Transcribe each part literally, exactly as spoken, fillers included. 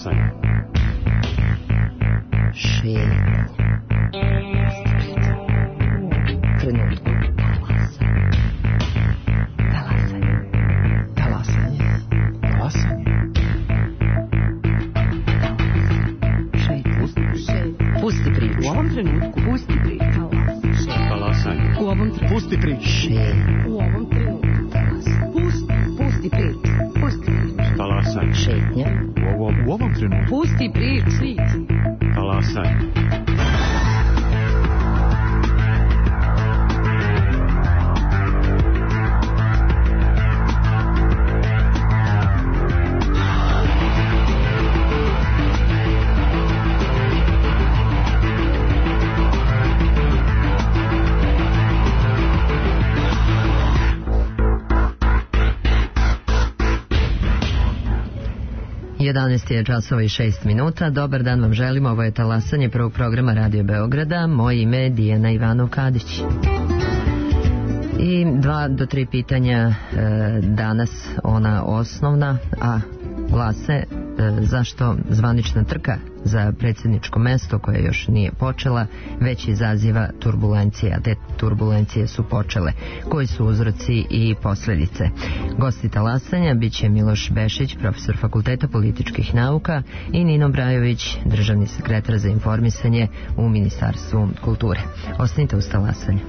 Talasanje. Šetnja. Trenutku. Talasanje. Talasanje. Talasanje. Pusti priču. U ovom trenutku pusti priču. Talasanje. U ovom trenutku pusti priču. Šetnja. U ovom trenutku pusti, pusti priču. Pusti priču. Talasanje. Šetnja. U ovom, u ovom trenutku. Pusti priču. Talasanje. jedanaest je časova i šest minuta. Dobar dan vam želimo. Ovo je Talasanje prvog programa Radio Beograda. Moje ime je Dijana Ivanov-Kadić. I dva do tri pitanja e, danas, ona osnovna, a glase e, zašto zvanična trka za predsjedničko mesto, koje još nije počela, već izaziva turbulencije, a te turbulencije su počele. Koji su uzroci i posljedice? Gosti Talasanja bit će Miloš Bešić, profesor Fakulteta političkih nauka, i Nino Brajović, državni sekretar za informisanje u Ministarstvu kulture. Ostanite uz Talasanje.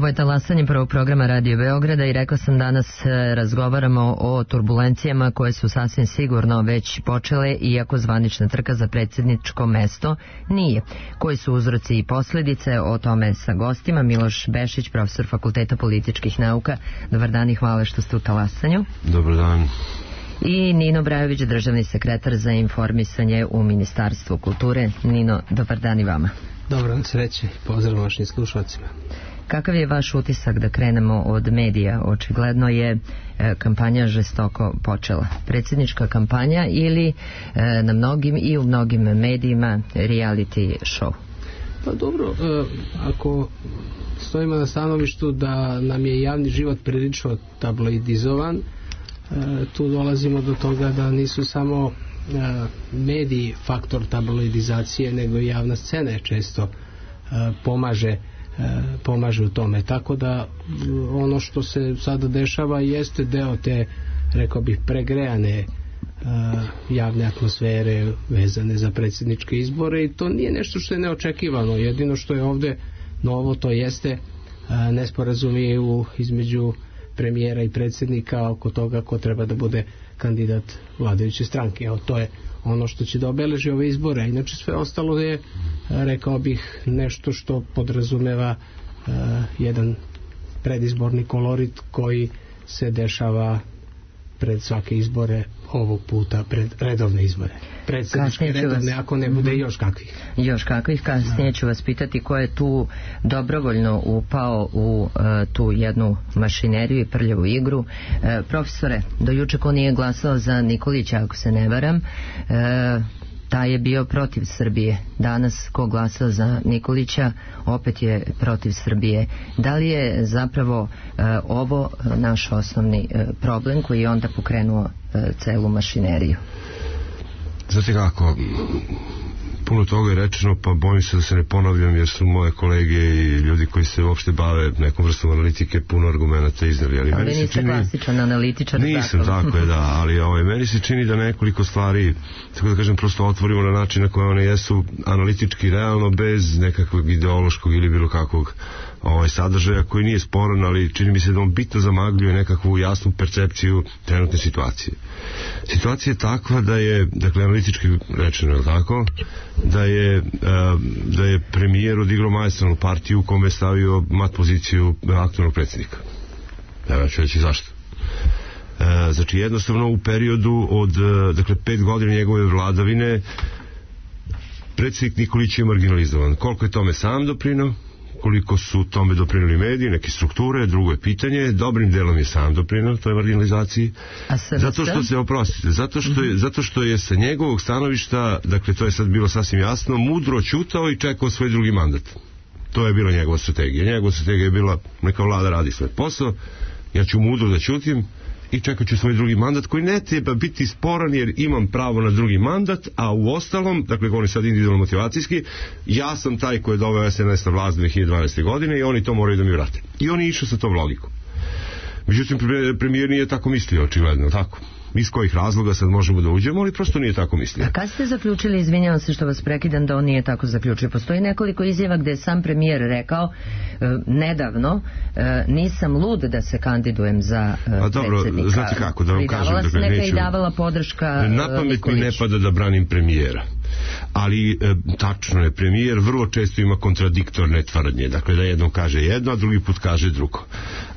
Ovo je Talasanje prvog programa Radio Beograda i rekla sam danas razgovaramo o turbulencijama koje su sasvim sigurno već počele, iako zvanična trka za predsjedničko mesto nije. Koji su uzroci i posljedice, o tome sa gostima. Miloš Bešić, profesor Fakulteta političkih nauka. Dobar dan i hvala što ste u Talasanju. Dobar dan. I Nino Brajović, državni sekretar za informisanje u Ministarstvu kulture. Nino, dobar dan i vama. Dobar dan, sreće. Pozdrav vašim slušalcima. Kakav je vaš utisak, da krenemo od medija? Očigledno je e, kampanja žestoko počela. Predsjednička kampanja ili e, na mnogim i u mnogim medijima reality show? Pa dobro, e, ako stojimo na stanovištu da nam je javni život prilično tabloidizovan, e, tu dolazimo do toga da nisu samo mediji faktor tabloidizacije, nego i javna scena je često pomaže pomaže u tome, tako da ono što se sada dešava jeste deo te, rekao bih, pregrejane javne atmosfere vezane za predsjedničke izbore, i to nije nešto što je neočekivano. Jedino što je ovde novo, to jeste nesporazumi između premijera i predsjednika oko toga ko treba da bude kandidat vladajuće stranke. Evo, to je ono što će da obeleži ove izbore. Inače sve ostalo je, rekao bih, nešto što podrazumeva uh, jedan predizborni kolorit koji se dešava pred svake izbore, ovog puta pred redovne izbore. Predsjedničke redovne, ako ne bude još kakvih. Još kakvih, kasnije ću vas pitati ko je tu dobrovoljno upao u uh, tu jednu mašineriju i prljavu igru. Uh, profesore, do juče ko nije glasao za Nikolića, ako se ne varam, uh, taj je bio protiv Srbije. Danas ko glasa za Nikolića opet je protiv Srbije. Da li je zapravo e, ovo naš osnovni e, problem koji je onda pokrenuo e, celu mašineriju? Znate kako, puno toga je rečeno, pa bojim se da se ne ponavljam, jer su moje kolege i ljudi koji se uopšte bave nekom vrstom analitike puno argumenta iznali. Ali, ali meni niste se čini, klasičan analitičar. Nisam, tako je, da, ali ovaj, meni se čini da nekoliko stvari, tako da kažem, prosto otvorimo na način na koje one jesu analitički realno, bez nekakvog ideološkog ili bilo kakvog ovaj sadržaja koji nije sporan, ali čini mi se da on bitno zamagljuje nekakvu jasnu percepciju trenutne situacije. Situacija je takva da je, dakle, analitički rečeno je tako, da je, da je premijer odigrao maestralnu partiju u kome je stavio mat poziciju aktualnog predsjednika. Ja ću reći zašto. Znači, jednostavno u periodu od, dakle, pet godina njegove vladavine predsjednik Nikolić je marginalizovan. Koliko je tome sam doprinao, koliko su tome doprinuli mediji, neke strukture, drugo je pitanje, dobrim delom je sam doprinao toj marginalizaciji, zato što se, oprostite, zato što je, zato što je sa njegovog stanovišta, dakle, to je sad bilo sasvim jasno, mudro ćutao i čekao svoj drugi mandat. To je bila njegova strategija. Njegova strategija je bila, neka vlada radi svoj posao, ja ću mudro da ćutim i čekat ću svoj drugi mandat koji ne treba biti sporan jer imam pravo na drugi mandat, a u ostalom, dakle, govorim sad individualno motivacijski, ja sam taj koji je doveo es en es na vlast dve hiljade dvanaeste. godine i oni to moraju da mi vrate. I oni išao sa tom logikom. Međutim, premijer nije tako mislio, očigledno, tako. Iz kojih razloga sad možemo da uđemo, ali prosto nije tako mislio. A kad ste zaključili, izvinjavam se što vas prekidam, da on nije tako zaključio? Postoji nekoliko izjava gde je sam premijer rekao e, nedavno, e, nisam lud da se kandidujem za e, A dobro, predsjednika. Znate kako, da vam kažem, dakle, dakle, neka neću, i davala podrška na pamet Nikolić. mi ne pada da branim premijera. Ali e, tačno je, premijer vrlo često ima kontradiktorne tvrdnje, dakle da jednom kaže jedno, a drugi put kaže drugo.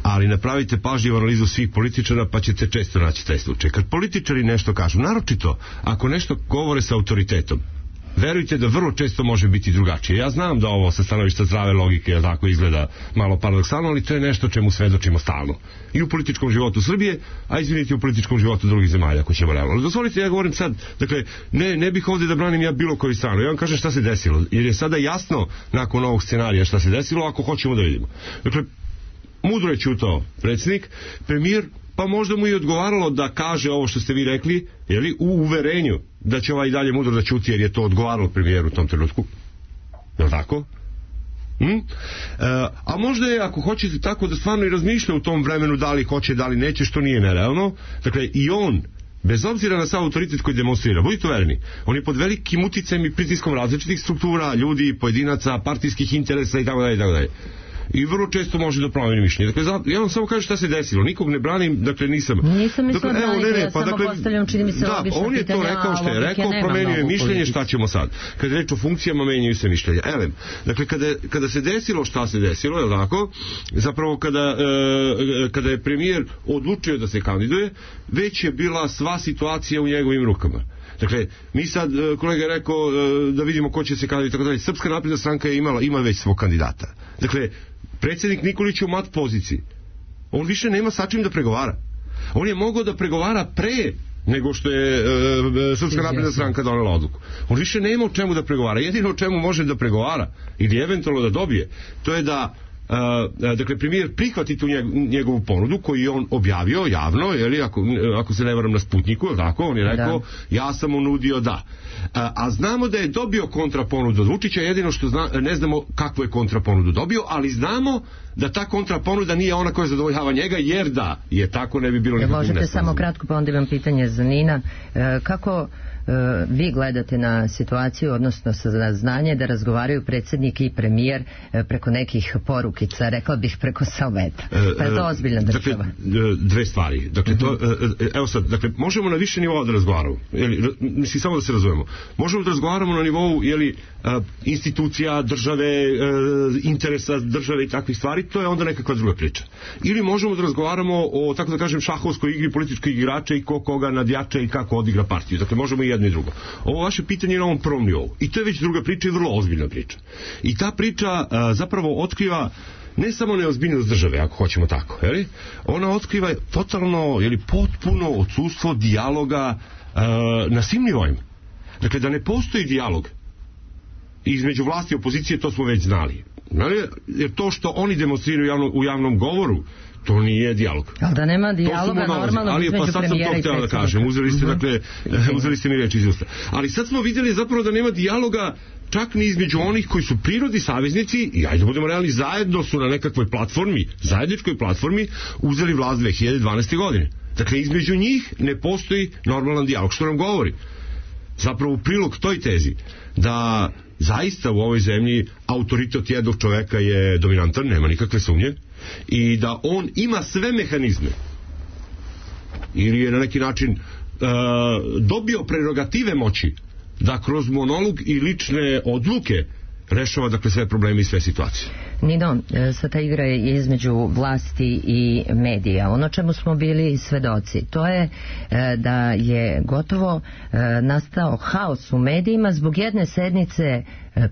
Ali napravite pažljivu analizu svih političara pa ćete često naći taj slučaj. Kad političari nešto kažu, naročito ako nešto govore sa autoritetom, verujte da vrlo često može biti drugačije. Ja znam da ovo sa stanovišta zdrave logike tako izgleda malo paradoksalno, ali to je nešto čemu svedočimo stalno. I u političkom životu Srbije, a izvinite, u političkom životu drugih zemalja, ako ćemo realno. Dozvolite, ja govorim sad, dakle, ne, ne bih ovdje da branim ja bilo koju stranu. Ja vam kažem šta se desilo, jer je sada jasno nakon ovog scenarija šta se desilo, ako hoćemo da vidimo. Dakle, mudro je ćutao predsjednik, premijer, pa možda mu i odgovaralo da kaže ovo što ste vi rekli, jeli, u uverenju da će ovaj dalje mudro da ćuti, jer je to odgovaralo premijeru u tom trenutku. Je li tako? Hm? E, a možda je, ako hoćete tako, da stvarno i razmišlja u tom vremenu da li hoće, da li neće, što nije nerealno. Dakle, i on, bez obzira na sav autoritet koji demonstrira, budite uvereni, on je pod velikim uticajem i pritiskom različitih struktura, ljudi, pojedinaca, partijskih interesa i tako dalje i tako dalje. I vrlo često može da promeni mišljenje. Dakle, ja vam samo kažem šta se desilo. Nikog ne branim, dakle nisam... Nisam mislila dakle, braniti, ne, ne, ja pa, samo dakle, postavljam, čini mi se da, logično on je pitanje, to rekao što je rekao, promenio je mišljenje, šta ćemo sad. Kada je reč o funkcijama, menjaju se mišljenja. Elem, dakle, kada, kada se desilo šta se desilo, je li tako, zapravo kada, e, kada je premijer odlučio da se kandiduje, već je bila sva situacija u njegovim rukama. Dakle, mi sad, kolega je rekao da vidimo ko će se kandidati. Srpska napredna stranka je imala, ima već svog kandidata. Dakle, predsjednik Nikolić je u mat poziciji. On više nema sa čim da pregovara. On je mogao da pregovara pre nego što je e, Srpska napredna stranka donela odluku. On više nema o čemu da pregovara. Jedino o čemu može da pregovara ili eventualno da dobije, to je da Uh, dakle premijer prihvati tu njegovu ponudu koju je on objavio javno, jeli, ako, ako se ne varam na Sputniku, tako, on je rekao da. Ja sam mu nudio da. Uh, a znamo da je dobio kontraponudu od Vučića, jedino što zna, ne znamo kakvu je kontraponudu dobio, ali znamo da ta kontraponuda nije ona koja zadovoljava njega, jer da je tako ne bi bilo nikakvog nesporazuma. Možete samo kratko, pa onda imam pitanje za Nina. E, kako e, vi gledate na situaciju, odnosno sa znanje da razgovaraju predsjednik i premijer e, preko nekih porukica, rekla bih preko salveta? Pa je to ozbiljna država? Dakle, dve stvari. Dakle, to, evo sad, dakle, možemo na više nivoa da razgovaramo. Jeli, mislim, samo da se razumemo. Možemo da razgovaramo na nivou, jeli, institucija, države, interesa države i takvih stvari, to je onda nekakva druga priča. Ili možemo da razgovaramo o, tako da kažem, šahovskoj igri političkih igrača i ko koga nadjača i kako odigra partiju. Dakle, možemo i jedno i drugo. Ovo vaše pitanje je na ovom prvom nivou. I to je već druga priča i vrlo ozbiljna priča. I ta priča a, zapravo otkriva ne samo neozbiljnost države, ako hoćemo tako, jeli? Ona otkriva totalno, jeli, potpuno odsustvo dijaloga a, na svim nivoima. Dakle, da ne postoji dijalog između vlasti i opozicije, to smo već znali. Jer to što oni demonstriraju javno, u javnom govoru, to nije dijalog. Ali da nema dijaloga normalno između pa sad sam to htjela da kažem. Uzeli ste, uh-huh. dakle, uzeli ste mi reči iz usta. Ali sad smo vidjeli zapravo da nema dijaloga čak ni između onih koji su prirodni saveznici i ajde budemo realni, zajedno su na nekakvoj platformi, zajedničkoj platformi uzeli vlast dve hiljade dvanaeste. godine. Dakle, između njih ne postoji normalan dijalog. Što nam govori? Zapravo u prilog toj tezi da zaista u ovoj zemlji autoritet jednog čoveka je dominantan, nema nikakve sumnje, i da on ima sve mehanizme ili je na neki način uh, dobio prerogative moći da kroz monolog i lične odluke rešava, dakle, sve probleme i sve situacije. Nino, sa ta igra je između vlasti i medija. Ono čemu smo bili svedoci, to je da je gotovo nastao haos u medijima zbog jedne sednice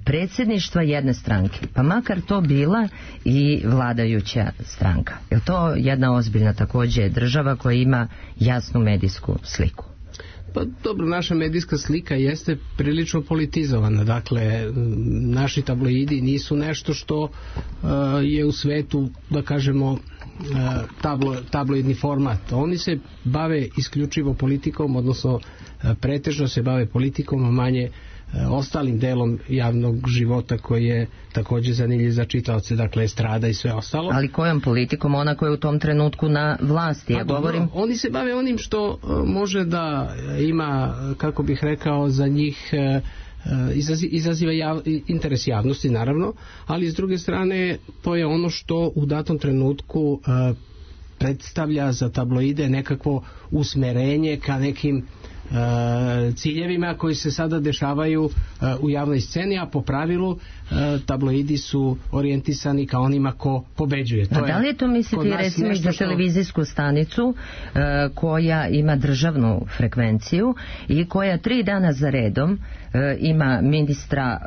predsjedništva jedne stranke, pa makar to bila i vladajuća stranka. Je to jedna ozbiljna također država koja ima jasnu medijsku sliku? Pa dobro, naša medijska slika jeste prilično politizovana. Dakle, naši tabloidi nisu nešto što uh, je u svetu, da kažemo, uh, tablo, tabloidni format. Oni se bave isključivo politikom, odnosno uh, pretežno se bave politikom, a manje ostalim delom javnog života koji je također zanimljiv za čitaoce, dakle estrada i sve ostalo. Ali kojom politikom? Ona koja je u tom trenutku na vlasti, ja pa, govorim. Dobro, oni se bave onim što može da ima, kako bih rekao, za njih izaziva jav, interes javnosti, naravno, ali s druge strane to je ono što u datom trenutku predstavlja za tabloide nekakvo usmerenje ka nekim ciljevima koji se sada dešavaju u javnoj sceni, a po pravilu tabloidi su orijentisani ka onima ko pobeđuje. To a da li je to misliti recimo za televizijsku stanicu koja ima državnu frekvenciju i koja tri dana za redom ima ministra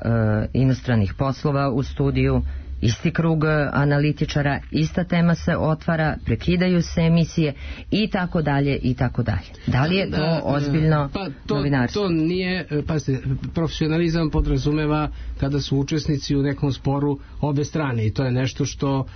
inostranih poslova u studiju, isti krug analitičara, ista tema se otvara, prekidaju se emisije i tako dalje i tako dalje. Da li je to ozbiljno pa to, novinarstvo? To nije, pazite, profesionalizam podrazumeva kada su učesnici u nekom sporu obe strane i to je nešto što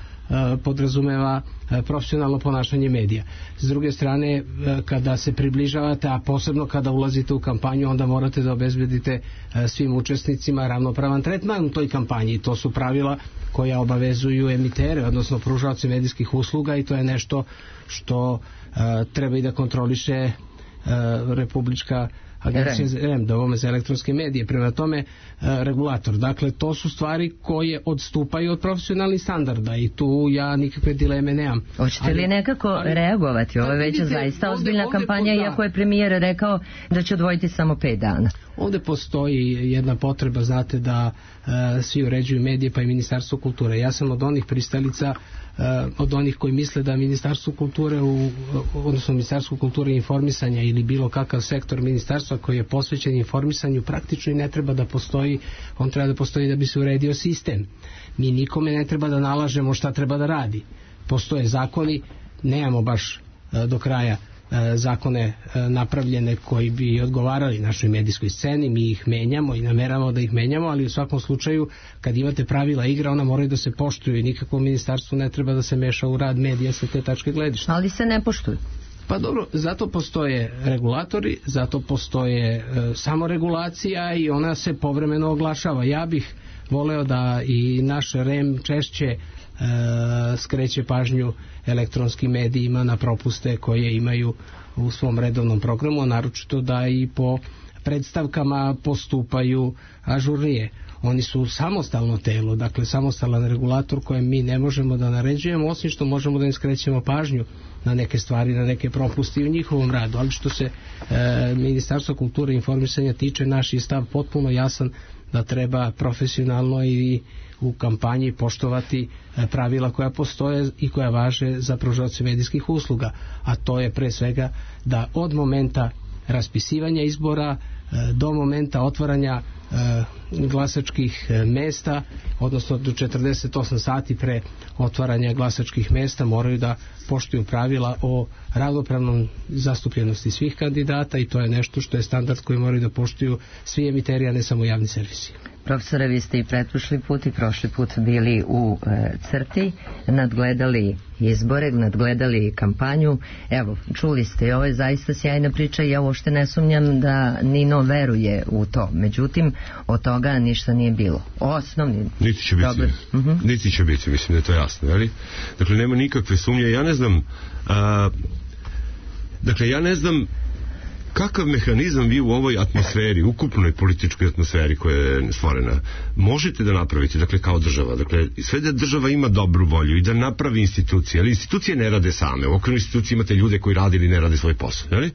podrazumeva profesionalno ponašanje medija. S druge strane, kada se približavate, a posebno kada ulazite u kampanju, onda morate da obezbedite svim učesnicima ravnopravan tretman u toj kampanji i to su pravila koja obavezuju emitere, odnosno pružaoce medijskih usluga i to je nešto što treba i da kontroliše Republička Agencija za, za elektronske medije, prema tome regulator. Dakle, to su stvari koje odstupaju od profesionalnih standarda i tu ja nikakve dileme nemam. Hoćete li nekako ali, reagovati? Ovo je već zaista ozbiljna ovdje, kampanja, ovdje, iako je premijer rekao da će odvojiti samo pet dana. Ovdje postoji jedna potreba, znate, da uh, svi uređuju medije, pa i Ministarstvo kulture. Ja sam od onih pristalica, uh, od onih koji misle da Ministarstvo kulture, u, odnosno Ministarstvo kulture i informisanja ili bilo kakav sektor ministarstva koji je posvećen informisanju praktično i ne treba da postoji, on treba da postoji da bi se uredio sistem. Mi nikome ne treba da nalažemo šta treba da radi. Postoje zakoni, nemamo baš uh, do kraja zakone napravljene koji bi odgovarali našoj medijskoj sceni, mi ih menjamo i nameravamo da ih menjamo, ali u svakom slučaju kad imate pravila igre, ona moraju da se poštuju i nikako ministarstvo ne treba da se meša u rad medija sa te tačke gledišta. Ali se ne poštuju. Pa dobro, zato postoje regulatori, zato postoje e, samoregulacija i ona se povremeno oglašava. Ja bih voleo da i naš R E M češće e, skreće pažnju elektronskim medijima na propuste koje imaju u svom redovnom programu, a naročito da i po predstavkama postupaju ažurnije. Oni su samostalno telo, dakle samostalan regulator kojem mi ne možemo da naređujemo, osim što možemo da im skrećemo pažnju na neke stvari, na neke propusti u njihovom radu. Ali što se e, Ministarstva kulture i informisanja tiče, naš je stav potpuno jasan da treba profesionalno i u kampanji poštovati pravila koja postoje i koja važe za pružaoce medijskih usluga, a to je pre svega da od momenta raspisivanja izbora do momenta otvaranja glasačkih mesta, odnosno do četrdeset osam sati pre otvaranja glasačkih mesta moraju da poštuju pravila o ravnopravnom zastupljenosti svih kandidata i to je nešto što je standard koji moraju da poštuju svi emiteri, a ne samo javni servisi. Profesore, vi ste i pretprošli put i prošli put bili u e, crti, nadgledali izbore, nadgledali kampanju. Evo, čuli ste, ovo je zaista sjajna priča i ja uopšte ne sumnjam da Nino veruje u to. Međutim, od toga ništa nije bilo. Osnovni... Niti će biti, uh-huh. niti će biti, mislim da je to jasno, ali? Dakle, nema nikakve sumnje. Ja ne znam, a, dakle, ja ne znam kakav mehanizam vi u ovoj atmosferi, ukupnoj političkoj atmosferi koja je stvorena, možete da napravite, dakle, kao država. Dakle, sve da država ima dobru volju i da napravi institucije, ali institucije ne rade same. U okviru institucije imate ljude koji rade ili ne rade svoj posao, jel?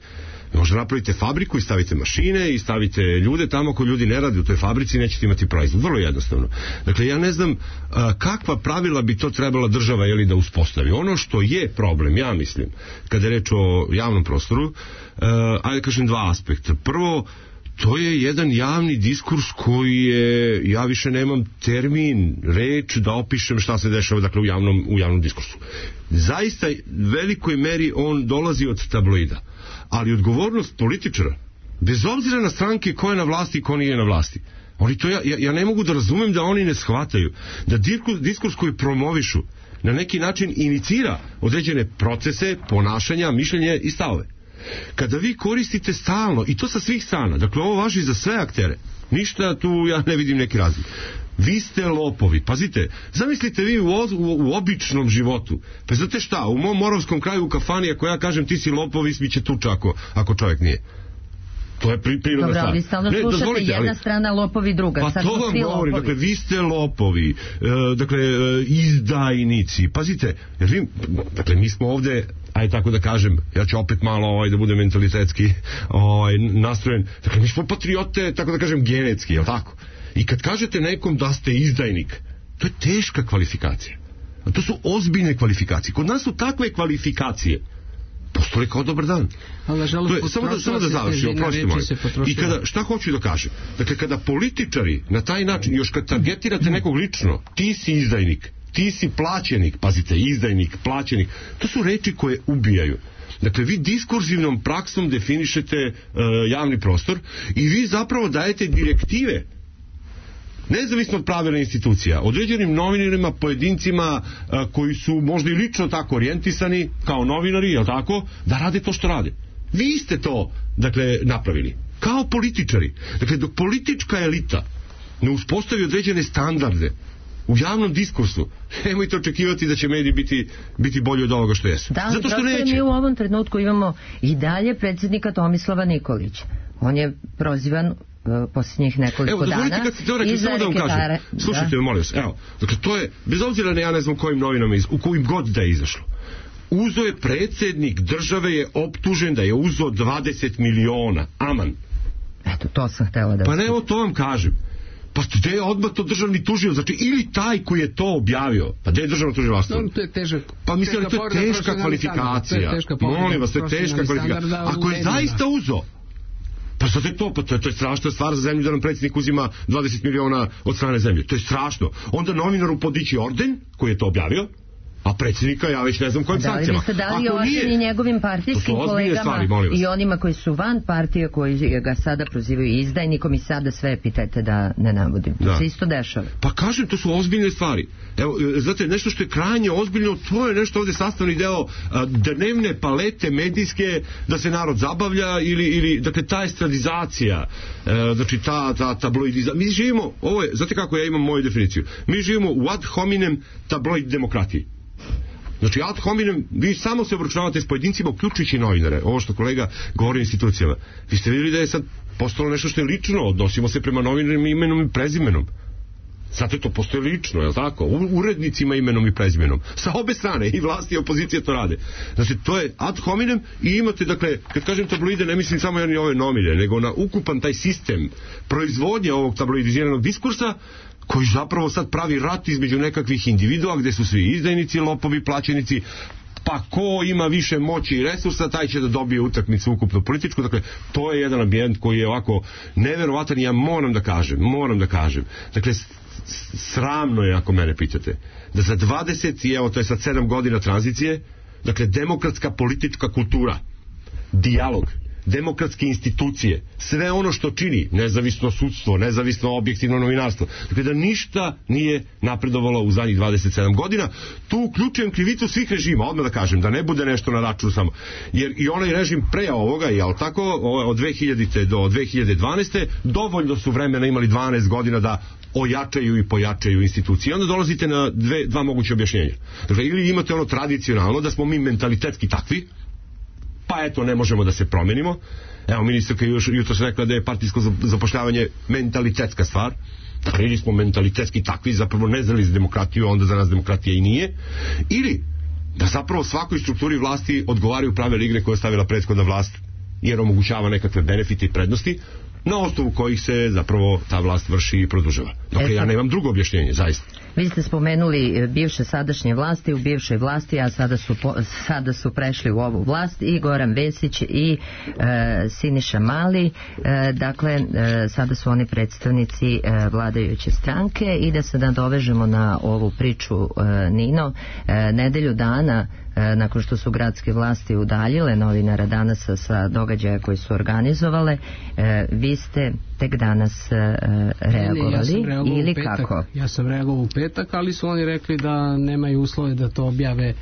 Možda napravite fabriku i stavite mašine i stavite ljude tamo, ako ljudi ne rade u toj fabrici, nećete imati proizvod. Vrlo jednostavno. Dakle, ja ne znam a, kakva pravila bi to trebala država jeli, da uspostavi. Ono što je problem, ja mislim, kada je reč o javnom prostoru, a, ajde kažem dva aspekta. Prvo, to je jedan javni diskurs koji je, ja više nemam termin, reč da opišem šta se dešava, dakle, u javnom, u javnom diskursu. Zaista, velikoj meri on dolazi od tabloida. Ali odgovornost političara, bez obzira na stranke ko je na vlasti i ko nije na vlasti, oni to ja, ja, ja ne mogu da razumem da oni ne shvataju da diskurs, diskurs koji promovišu na neki način inicira određene procese, ponašanja, mišljenje i stavove. Kada vi koristite stalno, i to sa svih strana, dakle ovo važi za sve aktere, ništa tu ja ne vidim neki razlik. Vi ste lopovi, pazite, zamislite vi u, u, u običnom životu, pa znate šta, u mom moravskom kraju u kafani, ako ja kažem ti si lopov, ismiće tuča ako, ako čovjek nije. To je pri, prirodna stvar. Dobro, vi stalno ne, slušate jedna ali, strana lopovi, druga. Pa sad to vam govorim, lopovi. Dakle, vi ste lopovi, e, dakle, e, izdajnici, pazite, jer vi, dakle, mi smo ovde, aj tako da kažem, ja ću opet malo ovaj, da budem mentalitetski ovaj, nastrojen, dakle, mi smo patriote, tako da kažem, genetski, jel tako? I kad kažete nekom da ste izdajnik, to je teška kvalifikacija. A to su ozbiljne kvalifikacije. Kod nas su takve kvalifikacije postoje kao dobar dan. Ali, žalost, to je, samo da, samo da završim, oprosti moj. I kada, šta hoću da kažem? Dakle, kada političari na taj način, još kad targetirate nekog lično, ti si izdajnik, ti si plaćenik, pazite, izdajnik, plaćenik, to su reči koje ubijaju. Dakle, vi diskurzivnom praksom definišete uh, javni prostor i vi zapravo dajete direktive nezavisno od pravila institucija, određenim novinarima, pojedincima a, koji su možda i lično tako orijentisani kao novinari, jel tako, da rade to što rade. Vi ste to, dakle, napravili. Kao političari. Dakle, dok politička elita ne uspostavi određene standarde u javnom diskursu, nemojte očekivati da će mediji biti, biti bolji od ovoga što jesu. Da, zato što neće. Mi u ovom trenutku imamo i dalje predsjednika Tomislava Nikolića. On je prozivan posljednjih nekoliko dana. Evo, kad ste to rekli, samo da vam kažem. Slušajte, molim vas, evo, dakle, to je, bez obzira na ja ne znam kojim novinama, u kojim god da je izašlo. Uzo je predsjednik države, je optužen da je uzo dvadeset miliona. Aman. Eto, to sam htjela da... Pa ne, evo, to vam kažem. Pa gde je odmah to državni tužio? Znači, ili taj koji je to objavio, pa gde je državno tužilaštvo? No, to je težak. Pa mislim, to je teška kvalifikacija. Molim vas, to je teška kvalifikacija. Ako je zaista uzo, pa sad je to, pa to je, to je strašna stvar za zemlju da nam predsjednik uzima dvadeset miliona od strane zemlje. To je strašno. Onda novinaru podići orden, koji je to objavio, A predsjednika ja već ne znam kojim Da li sankcijama. biste dali Ako oštenje nije, njegovim to partijskim su ozbiljne kolegama stvari, molim vas. i onima koji su van partije, koji ga sada prozivaju izdajnikom i sada sve epitete da ne navodim. To Da. se isto dešava. Pa kažem, to su ozbiljne stvari. Evo, e, znate, nešto što je krajnje ozbiljno, to je nešto ovde sastavni deo a, dnevne palete medijske da se narod zabavlja ili, ili dakle, ta estradizacija, e, znači ta, ta tabloidizacija. Mi živimo, ovo je, znate kako ja imam moju definiciju, mi živimo u ad hominem tabloid demokratiji. Znači, ad hominem, vi samo se obračunavate s pojedincima, uključujući novinare. Ovo što kolega govori o institucijama. Vi ste vidjeli da je sad postalo nešto što je lično, odnosimo se prema novinarima imenom i prezimenom. Zato to postoje lično, je li tako? Urednicima imenom i prezimenom. Sa obe strane, i vlasti i opozicije to rade. Znači, to je ad hominem i imate, dakle, kad kažem tabloide, ne mislim samo jedni ove novine, nego na ukupan taj sistem proizvodnje ovog tabloidiziranog diskursa, koji zapravo sad pravi rat između nekakvih individua gde su svi izdajnici, lopovi, plaćenici, pa ko ima više moći i resursa, taj će da dobije utakmicu ukupno političku. Dakle, to je jedan ambijent koji je ovako neverovatan i ja moram da kažem, moram da kažem. Dakle, sramno je, ako mene pitate, da za dvadeset i evo to je sad sedam godina tranzicije, dakle, demokratska politička kultura, dijalog, demokratske institucije, sve ono što čini nezavisno sudstvo, nezavisno objektivno novinarstvo, dakle da ništa nije napredovalo u zadnjih dvadeset sedam godina. Tu uključujem krivicu svih režima, odmah da kažem, da ne bude nešto na račun samo, jer i onaj režim pre ovoga, jel tako, od dve hiljadite do dve hiljade dvanaeste dovoljno su vremena imali dvanaest godina da ojačaju i pojačaju institucije. Onda dolazite na dve, dva moguće objašnjenja. Dakle, ili imate ono tradicionalno da smo mi mentalitetski takvi, pa eto, ne možemo da se promenimo. Evo, ministarka još jutro se rekla da je partijsko zapošljavanje mentalitetska stvar. Dakle, ili smo mentalitetski takvi, zapravo ne znali za demokratiju, onda za nas demokratija i nije. Ili da zapravo svakoj strukturi vlasti odgovaraju pravila igre koje je stavila prethodna vlast, jer omogućava nekakve benefite i prednosti, na osnovu kojih se zapravo ta vlast vrši i produžava. Dakle, ja nemam drugo objašnjenje, zaista. Vi ste spomenuli bivše sadašnje vlasti, u bivšoj vlasti, a sada su, po, sada su prešli u ovu vlast i Goran Vesić i e, Siniša Mali, e, dakle, e, sada su oni predstavnici e, vladajuće stranke i da se nadovežemo na ovu priču, e, Nino, e, nedelju dana e, nakon što su gradske vlasti udaljile novinara danas sa događaja koji su organizovale, e, vi ste tek danas e, reagovali, ne, ne, ja ili petak, kako? Ja sam reagovao u petak, ali su oni rekli da nemaju uslove da to objave e,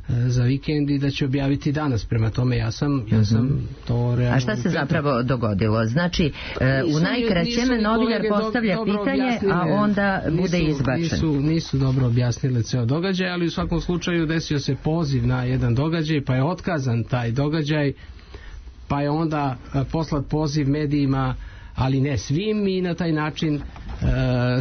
za vikend i da će objaviti danas. Prema tome ja sam, ja sam to reagovao. A šta se zapravo dogodilo? Znači, e, u najkraćem novinar postavlja do, pitanje, a onda nisu, bude izbačen. Nisu, nisu dobro objasnili ceo događaj, ali u svakom slučaju desio se poziv na jedan događaj, pa je otkazan taj događaj, pa je onda e, poslat poziv medijima, ali ne svim, i na taj način e,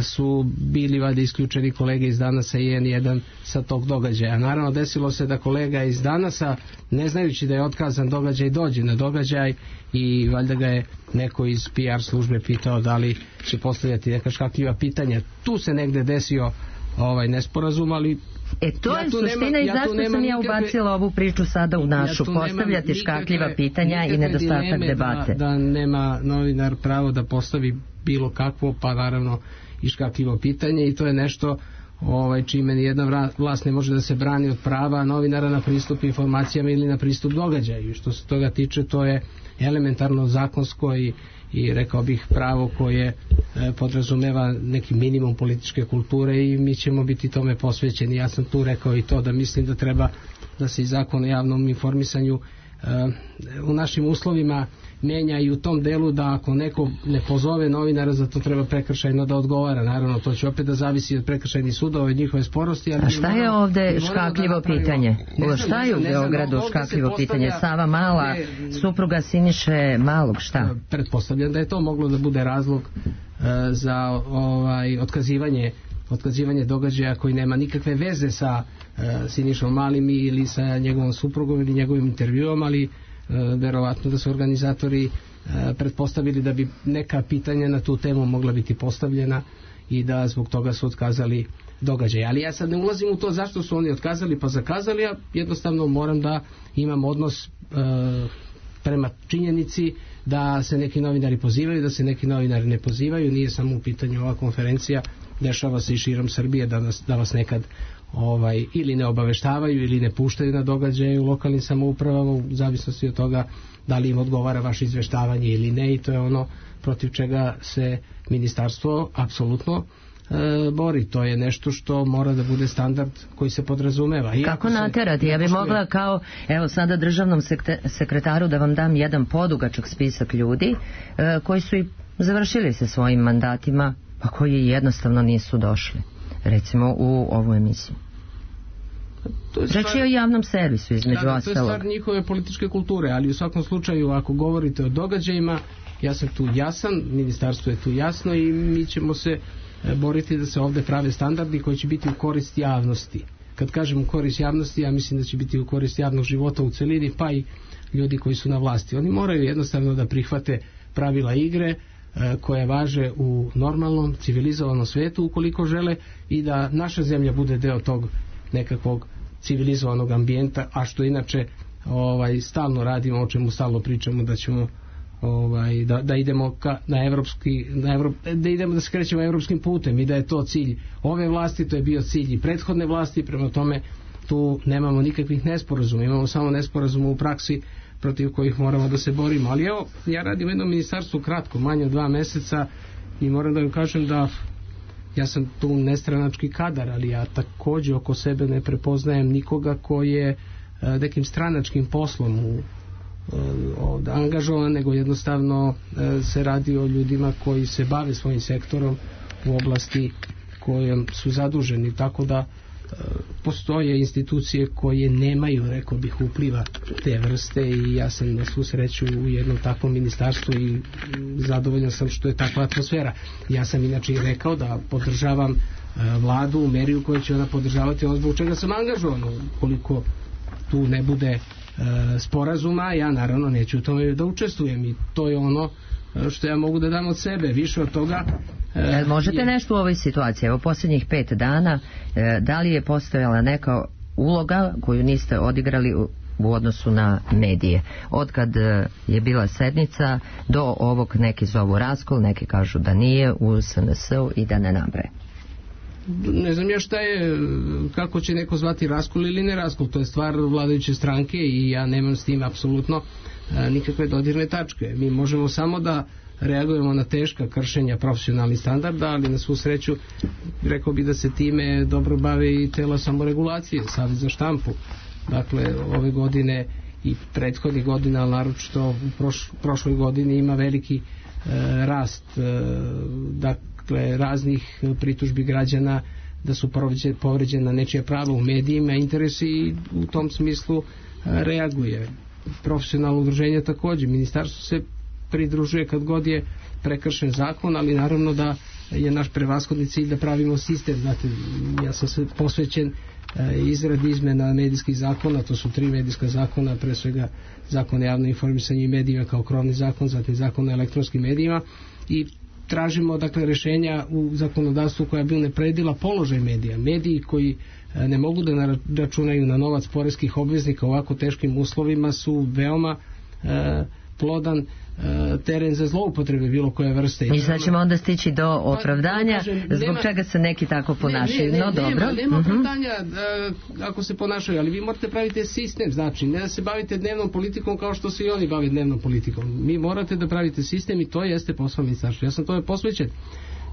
su bili valjda isključeni kolege iz Danasa i en jedan sa tog događaja. Naravno, desilo se da kolega iz Danasa, ne znajući da je otkazan događaj, dođe na događaj i valjda ga je neko iz P R službe pitao da li će postavljati neka škakljiva pitanja. Tu se negde desio ovaj nesporazum, ali E to ja je suština nema, i zašto ja sam ja ubacila nikakve, ovu priču sada u našu, ja postavljati škakljiva pitanja i nedostatak debate. Da, da nema novinar pravo da postavi bilo kakvo, pa naravno i škakljivo pitanje, i to je nešto ovaj, čime nijedna vlast ne može da se brani od prava novinara na pristup informacijama ili na pristup događaju. Što se toga tiče, to je elementarno zakonsko i i rekao bih pravo koje e, podrazumeva neki minimum političke kulture, i mi ćemo biti tome posvećeni. Ja sam tu rekao i to da mislim da treba da se i zakon o javnom informisanju e, u našim uslovima menja i u tom delu da ako neko ne pozove novinara, za to treba prekršajno da odgovara. Naravno, to će opet da zavisi od prekršajnih sudova i njihove sporosti. Ali a šta je ovde škakljivo da pitanje? Ne šta je u Beogradu škakljivo pitanje? Sava Mala, ne, supruga Siniše Malog, šta? Pretpostavljam da je to moglo da bude razlog uh, za ovaj otkazivanje otkazivanje događaja koji nema nikakve veze sa uh, Sinišom Malim ili sa njegovom suprugom ili njegovim intervjuom, ali Uh, verovatno da su organizatori uh, pretpostavili da bi neka pitanja na tu temu mogla biti postavljena i da zbog toga su otkazali događaj. Ali ja sad ne ulazim u to zašto su oni otkazali pa zakazali, ja jednostavno moram da imam odnos uh, prema činjenici da se neki novinari pozivaju, da se neki novinari ne pozivaju. Nije samo u pitanju ova konferencija, dešava se i širom Srbije da, nas, da vas nekad ovaj, ili ne obaveštavaju ili ne puštaju na događaje u lokalnim samoupravama u zavisnosti od toga da li im odgovara vaše izveštavanje ili ne, i to je ono protiv čega se ministarstvo apsolutno e, bori. To je nešto što mora da bude standard koji se podrazumeva. I kako naterati? Ja bih mogla kao, evo sada državnom sekretaru da vam dam jedan podugačak spisak ljudi e, koji su i završili se svojim mandatima, pa koji jednostavno nisu došli, recimo u ovu emisiju. Reći je o javnom servisu između da, da, ostalog. To je stvar njihove političke kulture, ali u svakom slučaju ako govorite o događajima, ja sam tu jasan, ministarstvo je tu jasno i mi ćemo se boriti da se ovde prave standardi koji će biti u korist javnosti. Kad kažem u korist javnosti, ja mislim da će biti u korist javnog života u celini, pa i ljudi koji su na vlasti. Oni moraju jednostavno da prihvate pravila igre koje važe u normalnom, civilizovanom svetu ukoliko žele i da naša zemlja bude deo tog nekakvog civilizovanog ambijenta, a što inače ovaj, stalno radimo, o čemu stalno pričamo da ćemo ovaj, da, da idemo ka, na evropski na Evrop, da idemo da se krećemo evropskim putem i da je to cilj ove vlasti, to je bio cilj i prethodne vlasti, prema tome tu nemamo nikakvih nesporazuma, imamo samo nesporazuma u praksi protiv kojih moramo da se borimo. Ali evo, ja radim u jednom ministarstvu kratko, manje od dva meseca i moram da vam kažem da ja sam tu nestranački kadar, ali ja takođe oko sebe ne prepoznajem nikoga koji je nekim stranačkim poslom u, ovdje angažovan, nego jednostavno se radi o ljudima koji se bave svojim sektorom u oblasti kojom su zaduženi, tako da postoje institucije koje nemaju, rekao bih, upliva te vrste i ja sam na svu sreću u jednom takvom ministarstvu i zadovoljan sam što je takva atmosfera. Ja sam inače i rekao da podržavam vladu u meri u kojoj će ona podržavati ono zbog čega sam angažovan. Koliko tu ne bude sporazuma, ja naravno neću u tome da učestvujem i to je ono što ja mogu da dam od sebe. Više od toga E, možete nešto u ovoj situaciji, evo posljednjih pet dana, e, da li je postojala neka uloga koju niste odigrali u, u odnosu na medije? Otkad je bila sednica do ovog, neki zovu raskol, neki kažu da nije, u S N S-u i da ne nabraje. Ne znam ja šta je, kako će neko zvati raskol ili ne raskol, to je stvar vladajuće stranke i ja nemam s tim apsolutno nikakve dodirne tačke. Mi možemo samo da reagujemo na teška kršenja profesionalnih standarda, ali na svu sreću rekao bi da se time dobro bave i tela samoregulacije, Savez za štampu. Dakle, ove godine i prethodnih godina, ali naročito u proš, prošloj godini ima veliki e, rast e, dakle, raznih pritužbi građana da su povređena nečija prava u medijima, interesi i u tom smislu e, reaguje. Profesionalno udruženje takođe, ministarstvo se pridružuje kad god je prekršen zakon, ali naravno da je naš prevashodni cilj da pravimo sistem. Znate, ja sam se posvećen e, izradi izmena medijskih zakona, to su tri medijska zakona, pre svega zakon o javnom informisanju i medijima kao krovni zakon, zatim zakon o elektronskim medijima i tražimo dakle rešenja u zakonodavstvu koja bi unapredila položaj medija. Mediji koji e, ne mogu da računaju na novac poreskih obveznika u ovako teškim uslovima su veoma e, plodan teren za zloupotrebe bilo koje vrste. I sad ćemo onda stići do opravdanja kažem, zbog nema, čega se neki tako ponašaju. Ne, ne, ne, no dobro. Nema, nema opravdanja uh, ako se ponašaju, ali vi morate praviti sistem, znači ne da se bavite dnevnom politikom kao što se i oni bave dnevnom politikom. Mi morate da pravite sistem i to jeste posao ministarstva. Ja sam tome posvećen.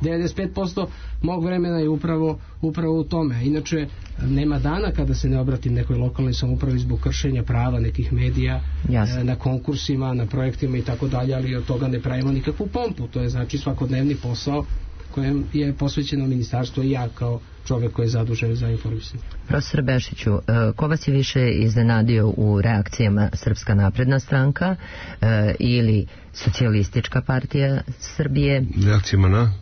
devedeset pet posto mog vremena je upravo, upravo u tome. Inače, nema dana kada se ne obratim nekoj lokalnoj samoupravi zbog kršenja prava nekih medija, Jasne. na konkursima, na projektima i tako dalje, ali od toga ne pravimo nikakvu pompu. To je znači svakodnevni posao kojem je posvećeno ministarstvo i ja kao čovjek koji je zadužen za informisanje. Profesor Bešiću, ko vas je više iznenadio u reakcijama Srpska napredna stranka ili Socijalistička partija Srbije? Reakcijama na?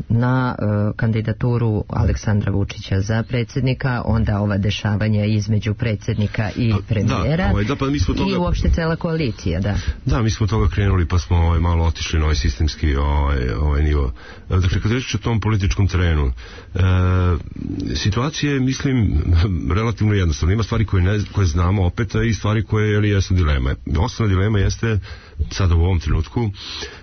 na uh, kandidaturu Aleksandra Vučića za predsjednika, onda ova dešavanja između predsjednika i premijera da, ovaj, da, pa mi smo toga, i uopšte cela koalicija, da. Da, mi smo toga krenuli pa smo ovaj, malo otišli na ovaj sistemski ovaj, ovaj nivo. Dakle, kad reći o tom političkom terenu, e, situacija je, mislim, relativno jednostavna. Ima stvari koje, ne, koje znamo opet i stvari koje jeli, jesu dilema. Osnovna dilema jeste sada u ovom trenutku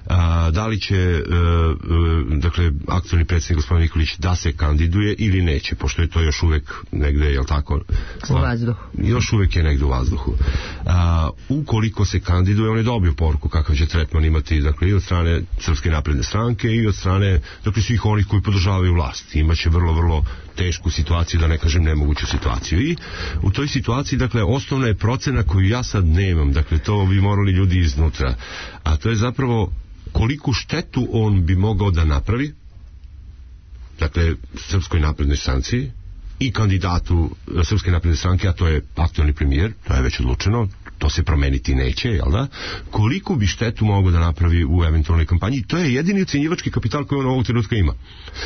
a, da li će a, dakle, aktualni predsjednik gospodin Nikolić da se kandiduje ili neće, pošto je to još uvek negde, jel tako? U vazduhu. Još uvek je negde u vazduhu. A, ukoliko se kandiduje, on je dobio poruku kakav će tretman imati, dakle, i od strane Srpske napredne stranke i od strane, dakle, svih onih koji podržavaju vlast. Imaće vrlo, vrlo tešku situaciju, da ne kažem nemoguću situaciju. I u toj situaciji, dakle, osnovna je procena koju ja sad nemam, dakle, to bi morali ljudi iznutra, a to je zapravo koliku štetu on bi mogao da napravi, dakle, Srpskoj naprednoj stranci i kandidatu Srpske napredne stranke, a to je aktualni premijer, to je već odlučeno, to se promeniti neće, jel da? Koliko bi štetu mogao da napravi u eventualnoj kampanji? To je jedini ucenjivački kapital koji on ovog trenutka ima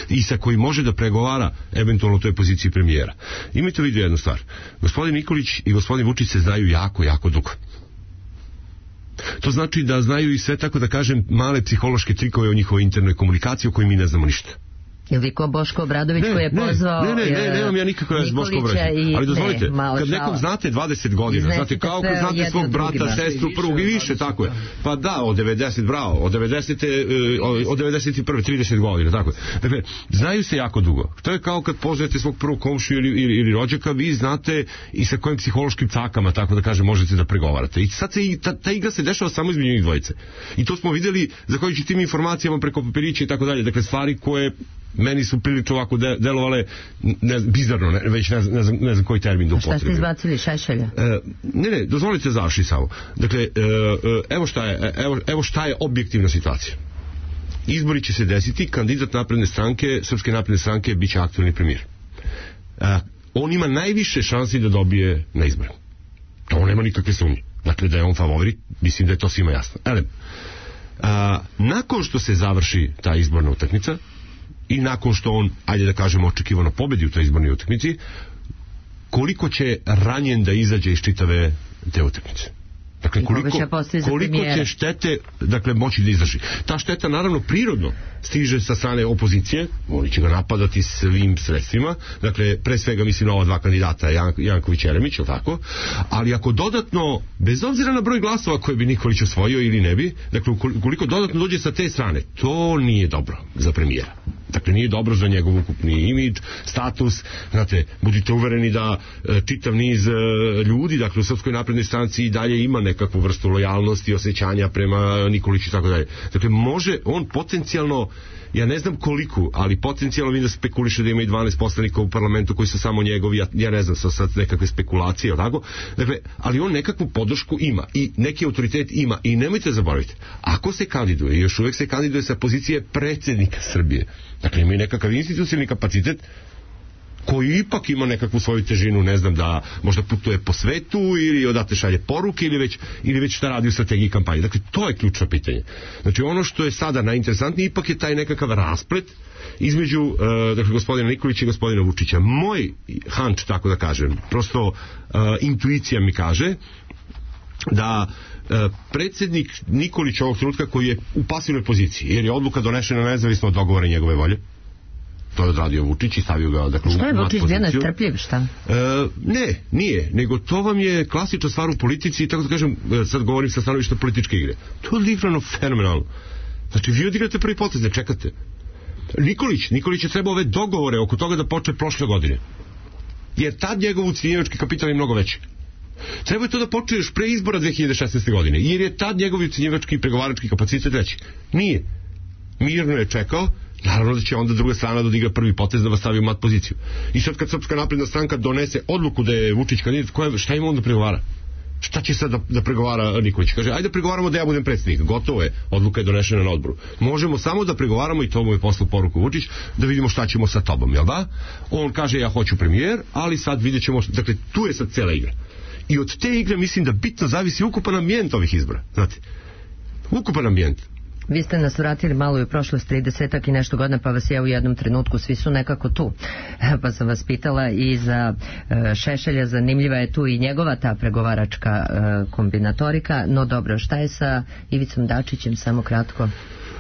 i sa koji može da pregovara eventualno u toj poziciji premijera. Imajte u vidu jednu stvar. Gospodin Nikolić i gospodin Vučić se znaju jako, jako dugo. To znači da znaju i sve, tako da kažem, male psihološke trikove o njihovoj internoj komunikaciji o kojoj mi ne znamo ništa. Ili ko Boško Obradović koji je pozvao ne, ne, ne, ne, nemam ja nikako s Boško Obradović. Ali dozvolite, ne, kad nekom znate dvadeset godina, znate kao kad znate svog brata, sestru, prvog i više, tako je. Pa da, od devedeset, bravo, od devedeset, od devedeset prve, trideset godina, tako je. Dakle, znaju se jako dugo. To je kao kad poznajete svog prvog komšiju ili, ili, ili rođaka, vi znate i sa kojim psihološkim cakama, tako da kažem, možete da pregovarate. I sad se i ta, ta igra se dešava samo između njih dvojice. I to smo videli zahvaljujući tim informacijama preko papirića i tako dalje. Dakle, stvari koje meni su prilično ovako de, delovale ne, bizarno, ne, već ne, ne, znam, ne znam koji termin da upotrebim. Šta ste izbacili, Šešelja? E, ne, ne, dozvolite završi samo. Dakle, e, evo, šta je, evo, evo šta je objektivna situacija. Izbori će se desiti, kandidat napredne stranke, Srpske napredne stranke, bit će aktualni premijer. E, on ima najviše šansi da dobije na izboru. To nema nikakve sumnje. Dakle, da je on favorit, mislim da je to svima jasno. Ele, a, nakon što se završi ta izborna utakmica, i nakon što on, ajde da kažemo, očekivano pobedi u toj izbornoj utakmici, koliko će ranjen da izađe iz čitave te utakmice. Dakle, koliko, koliko će štete, dakle, moći da izdrži. Ta šteta, naravno, prirodno stiže sa strane opozicije, oni će ga napadati svim sredstvima, dakle, pre svega mislim na ova dva kandidata, Jan, Janković i Jeremić, tako, ali ako dodatno, bez obzira na broj glasova koje bi Nikolić osvojio ili ne bi, dakle, koliko dodatno dođe sa te strane, to nije dobro za premijera. Dakle, nije dobro za njegov ukupni imidž, status, znate, budite uvereni da e, čitav niz e, ljudi, dakle, u Srpskoj naprednoj stranci i dalje ima nekakvu vrstu lojalnosti i osjećanja prema Nikoliću i tako dalje. Dakle, može on potencijalno, ja ne znam koliko, ali potencijalno vidim da spekuliše da ima i dvanaest poslanika u parlamentu koji su samo njegovi, ja, ja ne znam, sa sad nekakve spekulacije, tako? Dakle, ali on nekakvu podršku ima i neki autoritet ima i nemojte zaboraviti, ako se kandiduje, i još uvek se kandiduje sa pozicije predsjednika Srbije, dakle, ima i nekakav institucionalni kapacitet koji ipak ima nekakvu svoju težinu, ne znam, da možda putuje po svetu ili odate šalje poruke ili već, ili već šta radi u strategiji kampanje. Dakle, to je ključno pitanje. Znači, ono što je sada najinteresantnije ipak je taj nekakav rasplet između uh, dakle, gospodina Nikolića i gospodina Vučića. Moj hunch, tako da kažem, prosto uh, intuicija mi kaže da uh, predsjednik Nikolić ovog trenutka koji je u pasivnoj poziciji, jer je odluka donešena nezavisno od dogovora njegove volje, to je odradio Vučić i stavio ga, dakle, šta je Vučić bio nestrpljiv, šta? E, ne, nije, nego to vam je klasična stvar u politici i tako da kažem, sad govorim sa stanovišta političke igre. To je odigrano fenomenalno. Znači, vi odigrate prvi potez, ne čekate. Nikolić, Nikolić je trebao ove dogovore oko toga da počne prošle godine. Jer tad njegov ucenjivački kapital je mnogo veći. Treba je to da počne još pre izbora dve hiljade šesnaeste. godine, jer je tad njegov ucenjivački i pregovarački kapacitet veći. Nije. Mirno je čekao. Naravno da će onda druga strana da odigra prvi potez da vas stavi u mat poziciju. I sad kad Srpska napredna stranka donese odluku da je Vučić kandidat, koja, šta ima on da pregovara? Šta će sad da, da pregovara Nikolić? Kaže, ajde pregovaramo da ja budem predsjednik. Gotovo je, odluka je donešena na odboru. Možemo samo da pregovaramo, i to mu je poslao poruku Vučić, da vidimo šta ćemo sa tobom, jel da? On kaže, ja hoću premijer, ali sad vidjet ćemo, dakle, tu je sad cela igra. I od te igre mislim da bitno zavisi ukupan ambijent ovih izbora, znate. Ukupan ambijent. Vi ste nas vratili malo i u prošlost tridesetak i nešto godina, pa vas ja u jednom trenutku, svi su nekako tu. Pa sam vas pitala i za uh, Šešelja, zanimljiva je tu i njegova ta pregovaračka uh, kombinatorika, no dobro, šta je sa Ivicom Dačićem, samo kratko?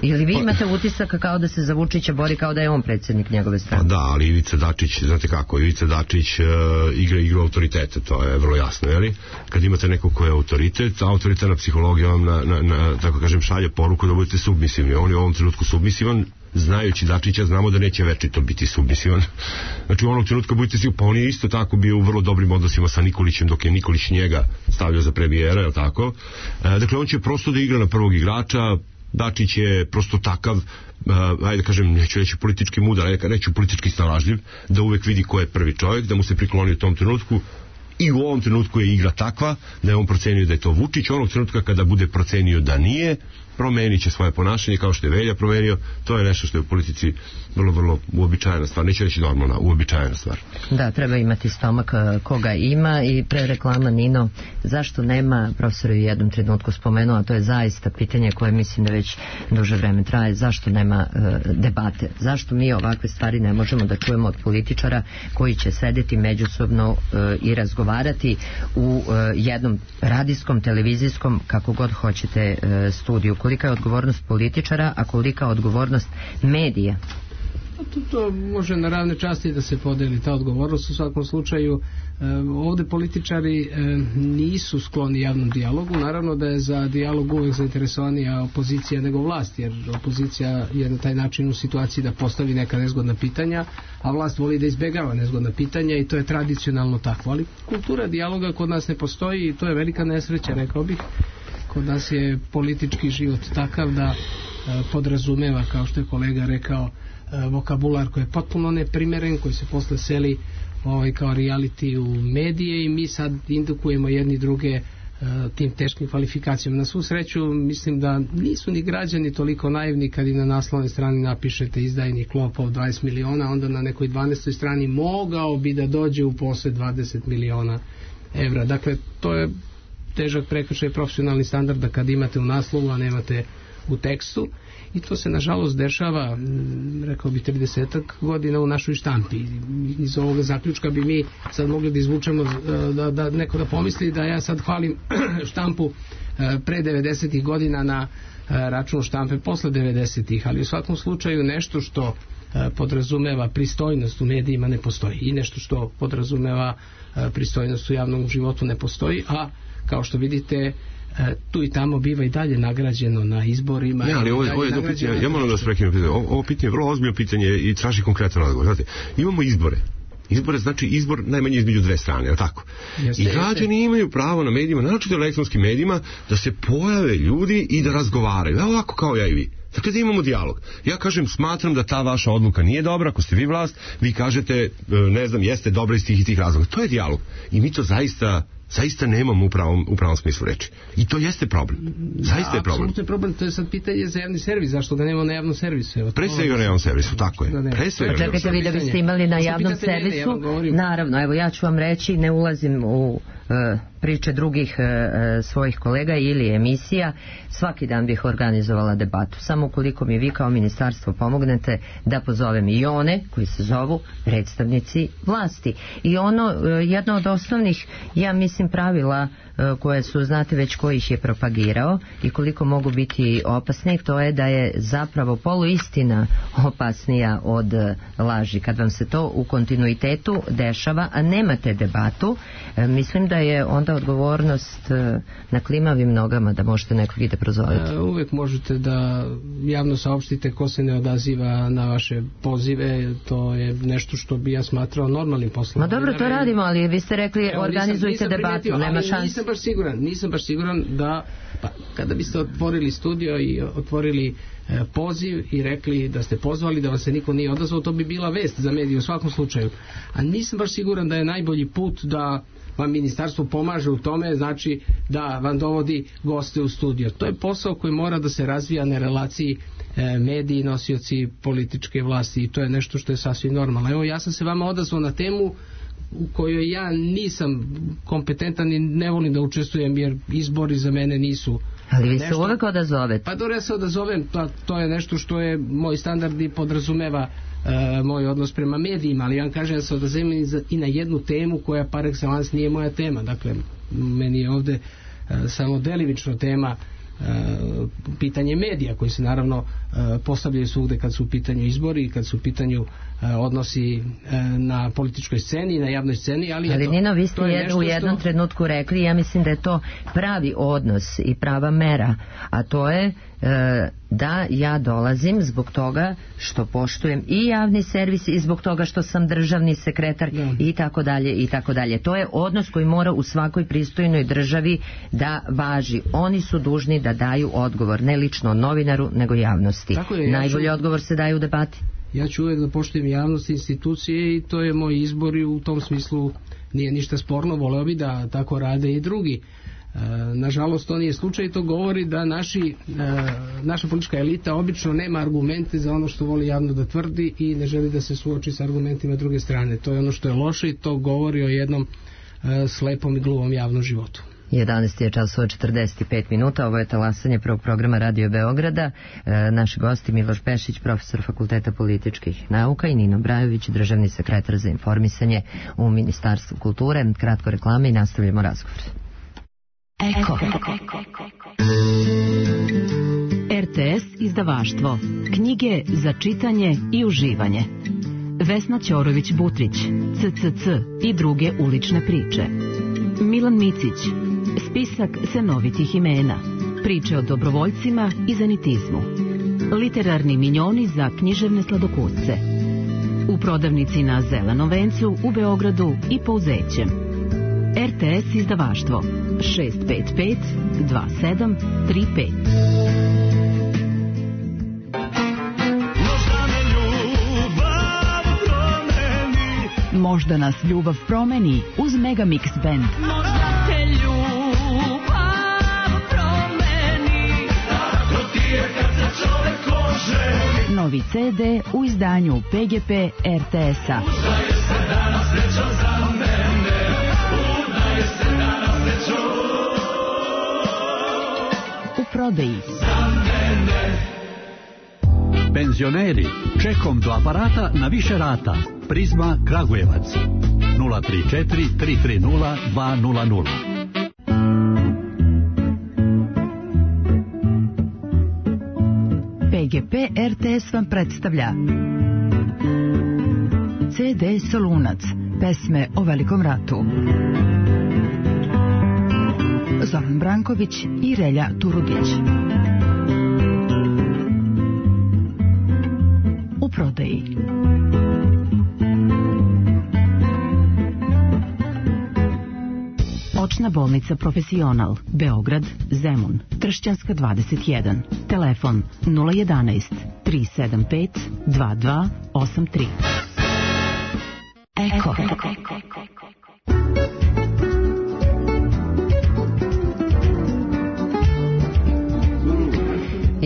Ili vi imate utisak kao da se za Vučića bori kao da je on predsjednik njegove strane? Pa da, ali Ivica Dačić, znate kako, Ivica Dačić uh, igra igru autoriteta, to je vrlo jasno, jeli? Kad imate nekog ko je autoritet, autoritetna psihologija vam na, na, na, tako kažem, šalje poruku da budete submisivni. On je u ovom trenutku submisivan, znajući Dačića, znamo da neće večito biti submisivan. Znači u onog trenutka budete sigurni, pa on je isto tako bio u vrlo dobrim odnosima sa Nikolićem dok je Nikolić njega stavljao za premijera, je li tako? E, dakle, on će prosto da igra na prvog igrača. Dačić je prosto takav, uh, ajde kažem, neću reći politički mudar, reću politički snalažljiv, da uvek vidi ko je prvi čovjek, da mu se prikloni u tom trenutku. I u ovom trenutku je igra takva da je on procenio da je to Vučić. Onog trenutka kada bude procenio da nije, promenit će svoje ponašanje kao što je Velja promenio. To je nešto što je u politici vrlo, vrlo uobičajena stvar. Neće reći normalna, uobičajena stvar. Da, treba imati stomak koga ima. I pre reklama, Nino, zašto nema, profesor je u jednom trenutku spomenuo, a to je zaista pitanje koje mislim da već duže vreme traje, zašto nema e, debate? Zašto mi ovakve stvari ne možemo da čujemo od političara koji će sedeti međusobno e, i razgovarati u e, jednom radijskom, televizijskom, kako god hoćete, e, studiju? Kolika je odgovornost političara, a kolika je odgovornost medija? To, to može na ravne časti da se podeli ta odgovornost. U svakom slučaju e, ovde političari e, nisu skloni javnom dijalogu. Naravno da je za dijalog uvek zainteresovanija opozicija nego vlast, jer opozicija je na taj način u situaciji da postavi neka nezgodna pitanja, a vlast voli da izbegava nezgodna pitanja i to je tradicionalno tako. Ali kultura dijaloga kod nas ne postoji i to je velika nesreća, rekao bih. Kod nas je politički život takav da e, podrazumeva, kao što je kolega rekao, e, vokabular koji je potpuno neprimeren, koji se posle seli ovaj, kao reality u medije i mi sad indukujemo jedni druge e, tim teškim kvalifikacijama. Na svu sreću mislim da nisu ni građani toliko naivni kad i na naslovnoj strani napišete izdajnik lopov dvadeset miliona, onda na nekoj dvanaestoj strani mogao bi da dođe u posed dvadeset miliona evra. Dakle, to je težak prekršaj profesionalni standard da kad imate u naslovu, a nemate u tekstu, i to se nažalost dešava, rekao bi tridesetak godina u našoj štampi. Iz ovoga zaključka bi mi sad mogli da izvučemo, da, da neko da pomisli da ja sad hvalim štampu pre devedesetih godina na račun štampe posle devedesetih, ali u svakom slučaju nešto što podrazumeva pristojnost u medijima ne postoji i nešto što podrazumeva pristojnost u javnom životu ne postoji, a kao što vidite tu i tamo biva i dalje nagrađeno na izborima. Ne, ali ovo, ovo je jedno pitanje, ja moram da vas prekinem pitanje. Ovo, ovo pitanje je vrlo ozbiljno pitanje i traži konkretan odgovor. Znate, imamo izbore. Izbore znači izbor najmanje između dve strane, je tako? Jeste, I građani jeste. Imaju pravo na medijima, naročito na elektronskim medijima, da se pojave ljudi i da razgovaraju. Evo ovako kao ja i vi. Dakle, da imamo dijalog. Ja kažem, smatram da ta vaša odluka nije dobra, ako ste vi vlast, vi kažete, ne znam, jeste dobra iz tih i tih razloga. To je dijalog. I mi to zaista zaista nemamo u pravom, u pravom smislu reči. I to jeste problem. Zaista da, je problem. Apsolutno je problem. To je sad pitanje za javni servis. Zašto da nemamo na javnom servisu? Evo, Pre svega na javnom servisu, tako je. Da Pre svega. Pa čekajte vi da biste imali na javnom servisu. Mene, ja naravno, evo ja ću vam reći, ne ulazim u uh, priče drugih uh, svojih kolega ili emisija. Svaki dan bih organizovala debatu. Samo ukoliko mi vi kao ministarstvo pomognete da pozovem i one koji se zovu predstavnici vlasti. I ono, uh, jedno od osnovnih, ja mislim, pravila koje su, znate već ko ih je propagirao i koliko mogu biti opasni, to je da je zapravo poluistina opasnija od laži. Kad vam se to u kontinuitetu dešava, a nemate debatu, mislim da je onda odgovornost na klimavim nogama da možete nekog i da prozovete. Uvek možete da javno saopštite ko se ne odaziva na vaše pozive, to je nešto što bi ja smatrao normalnim poslom. Ma dobro, to radimo, ali vi ste rekli evo, organizujte nisam, nisam debatu, nema šanse. Nisam baš siguran, nisam baš siguran da pa, kada biste otvorili studio i otvorili e, poziv i rekli da ste pozvali, da vam se niko nije odazvao, to bi bila vest za medije u svakom slučaju. A nisam baš siguran da je najbolji put da vam ministarstvo pomaže u tome, znači da vam dovodi goste u studio. To je posao koji mora da se razvija na relaciji e, mediji, nosioci političke vlasti i to je nešto što je sasvim normalno. Evo, ja sam se vama odazvao na temu u kojoj ja nisam kompetentan i ne volim da učestvujem jer izbori za mene nisu. Ali vi se uvek odazovete. Pa dobro, ja se odazovem, to, to je nešto što je moj standard i podrazumeva e, moj odnos prema medijima, ali ja vam kažem da se odazovem i, i na jednu temu koja par excellence nije moja tema. Dakle, meni je ovde e, samo delimično tema Uh, pitanje medija koji se naravno uh, postavljaju svugde kad su u pitanju izbori i kad su u pitanju uh, odnosi uh, na političkoj sceni, na javnoj sceni, ali, ali eto, Nino, vi ste je u jednom što... trenutku rekli, ja mislim da je to pravi odnos i prava mera, a to je e, da ja dolazim zbog toga što poštujem i javni servis i zbog toga što sam državni sekretar Da. i tako dalje i tako dalje. To je odnos koji mora u svakoj pristojnoj državi da važi. Oni su dužni da daju odgovor, ne lično novinaru, nego javnosti. Tako je, ja Najbolji ću- odgovor se daje u debati. Ja ću uvijek da poštujem javnost, institucije i to je moj izbor i u tom smislu nije ništa sporno, voleo bi da tako rade i drugi. E, nažalost, to nije slučaj i to govori da naši, e, naša politička elita obično nema argumente za ono što voli javno da tvrdi i ne želi da se suoči sa argumentima druge strane. To je ono što je loše i to govori o jednom e, slepom i gluvom javnom životu. jedanaest je časova četrdeset pet minuta, ovo je talasanje prvog programa Radio Beograda. E, naši gosti Miloš Pešić, profesor Fakulteta političkih nauka, i Nino Brajović, državni sekretar za informisanje u Ministarstvu kulture. Kratko reklame i nastavljamo razgovor. Eko. R T S izdavaštvo. Knjige za čitanje i uživanje. Vesna Ćorović-Butrić, C C C i druge ulične priče. Milan Micić, spisak senovitih imena. Priče o dobrovoljcima i zanitizmu. Literarni minjoni za književne sladokusce. U prodavnici na Zelenom vencu u Beogradu i Pouzećem. R T S izdavaštvo šest pet pet dva sedam tri pet. Možda nas ljubav promeni uz Megamix Band. Možda te ljubav promeni. Tako ti je kad se čovek oženi. Novi C D u izdanju P G P R T S-a. Udaje se danas srećom za mene. Udaje se danas srećom. U prodaji. Za mene. Penzioneri, čekom do aparata na više rata. Prizma Kragujevac nula tri četiri tri tri nula dva nula nula. P G P R T S vam predstavlja C D Solunac, pesme o Velikom ratu. Zoran Branković i Relja Turudić. U prodaji. Očna bolnica Profesional, Beograd, Zemun, Tršćanska dvadeset jedan. Telefon nula jedanaest tri sedam pet dva dva osam tri. Eko.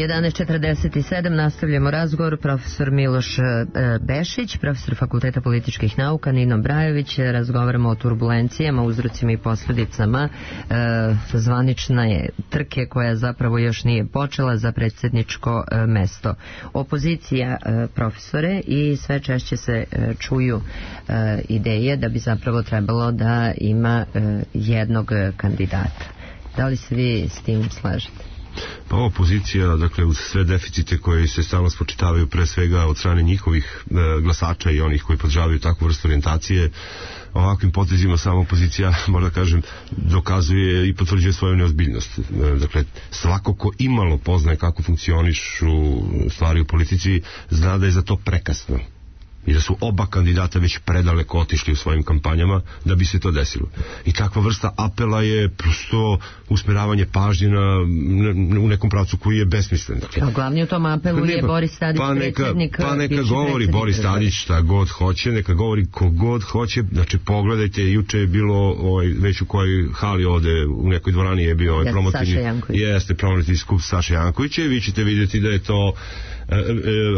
jedanaest četrdeset sedam, nastavljamo razgovor. Profesor Miloš e, Bešić, profesor Fakulteta političkih nauka, Nino Brajović. Razgovaramo o turbulencijama, uzrocima i posljedicama e, zvanične trke koja zapravo još nije počela za predsjedničko e, mesto. Opozicija, e, profesore, i sve češće se e, čuju e, ideje da bi zapravo trebalo da ima e, jednog kandidata. Da li se vi s tim slažete? Pa opozicija, dakle, uz sve deficite koji se stalno spočitavaju pre svega od strane njihovih e, glasača i onih koji podržavaju takvu vrstu orijentacije, ovakvim potezima sama opozicija, možda kažem, dokazuje i potvrđuje svoju neozbiljnost. E, dakle, svako ko imalo poznaje kako funkcionišu stvari u politici, zna da je za to prekasno. I da su oba kandidata već predaleko otišli u svojim kampanjama da bi se to desilo. I takva vrsta apela je prosto usmeravanje pažnje na, na, u nekom pravcu koji je besmislen. Dakle, a glavni u tom apelu je Boris Tadić, pa neka, predsjednik. Pa neka govori Boris Tadić šta god hoće, neka govori ko god hoće. Znači pogledajte, juče je bilo ovaj, već u kojoj hali ovde u nekoj dvorani je bio ovaj promotivni, jeste promotivni skup Saša Jankovića i vi ćete vidjeti da je to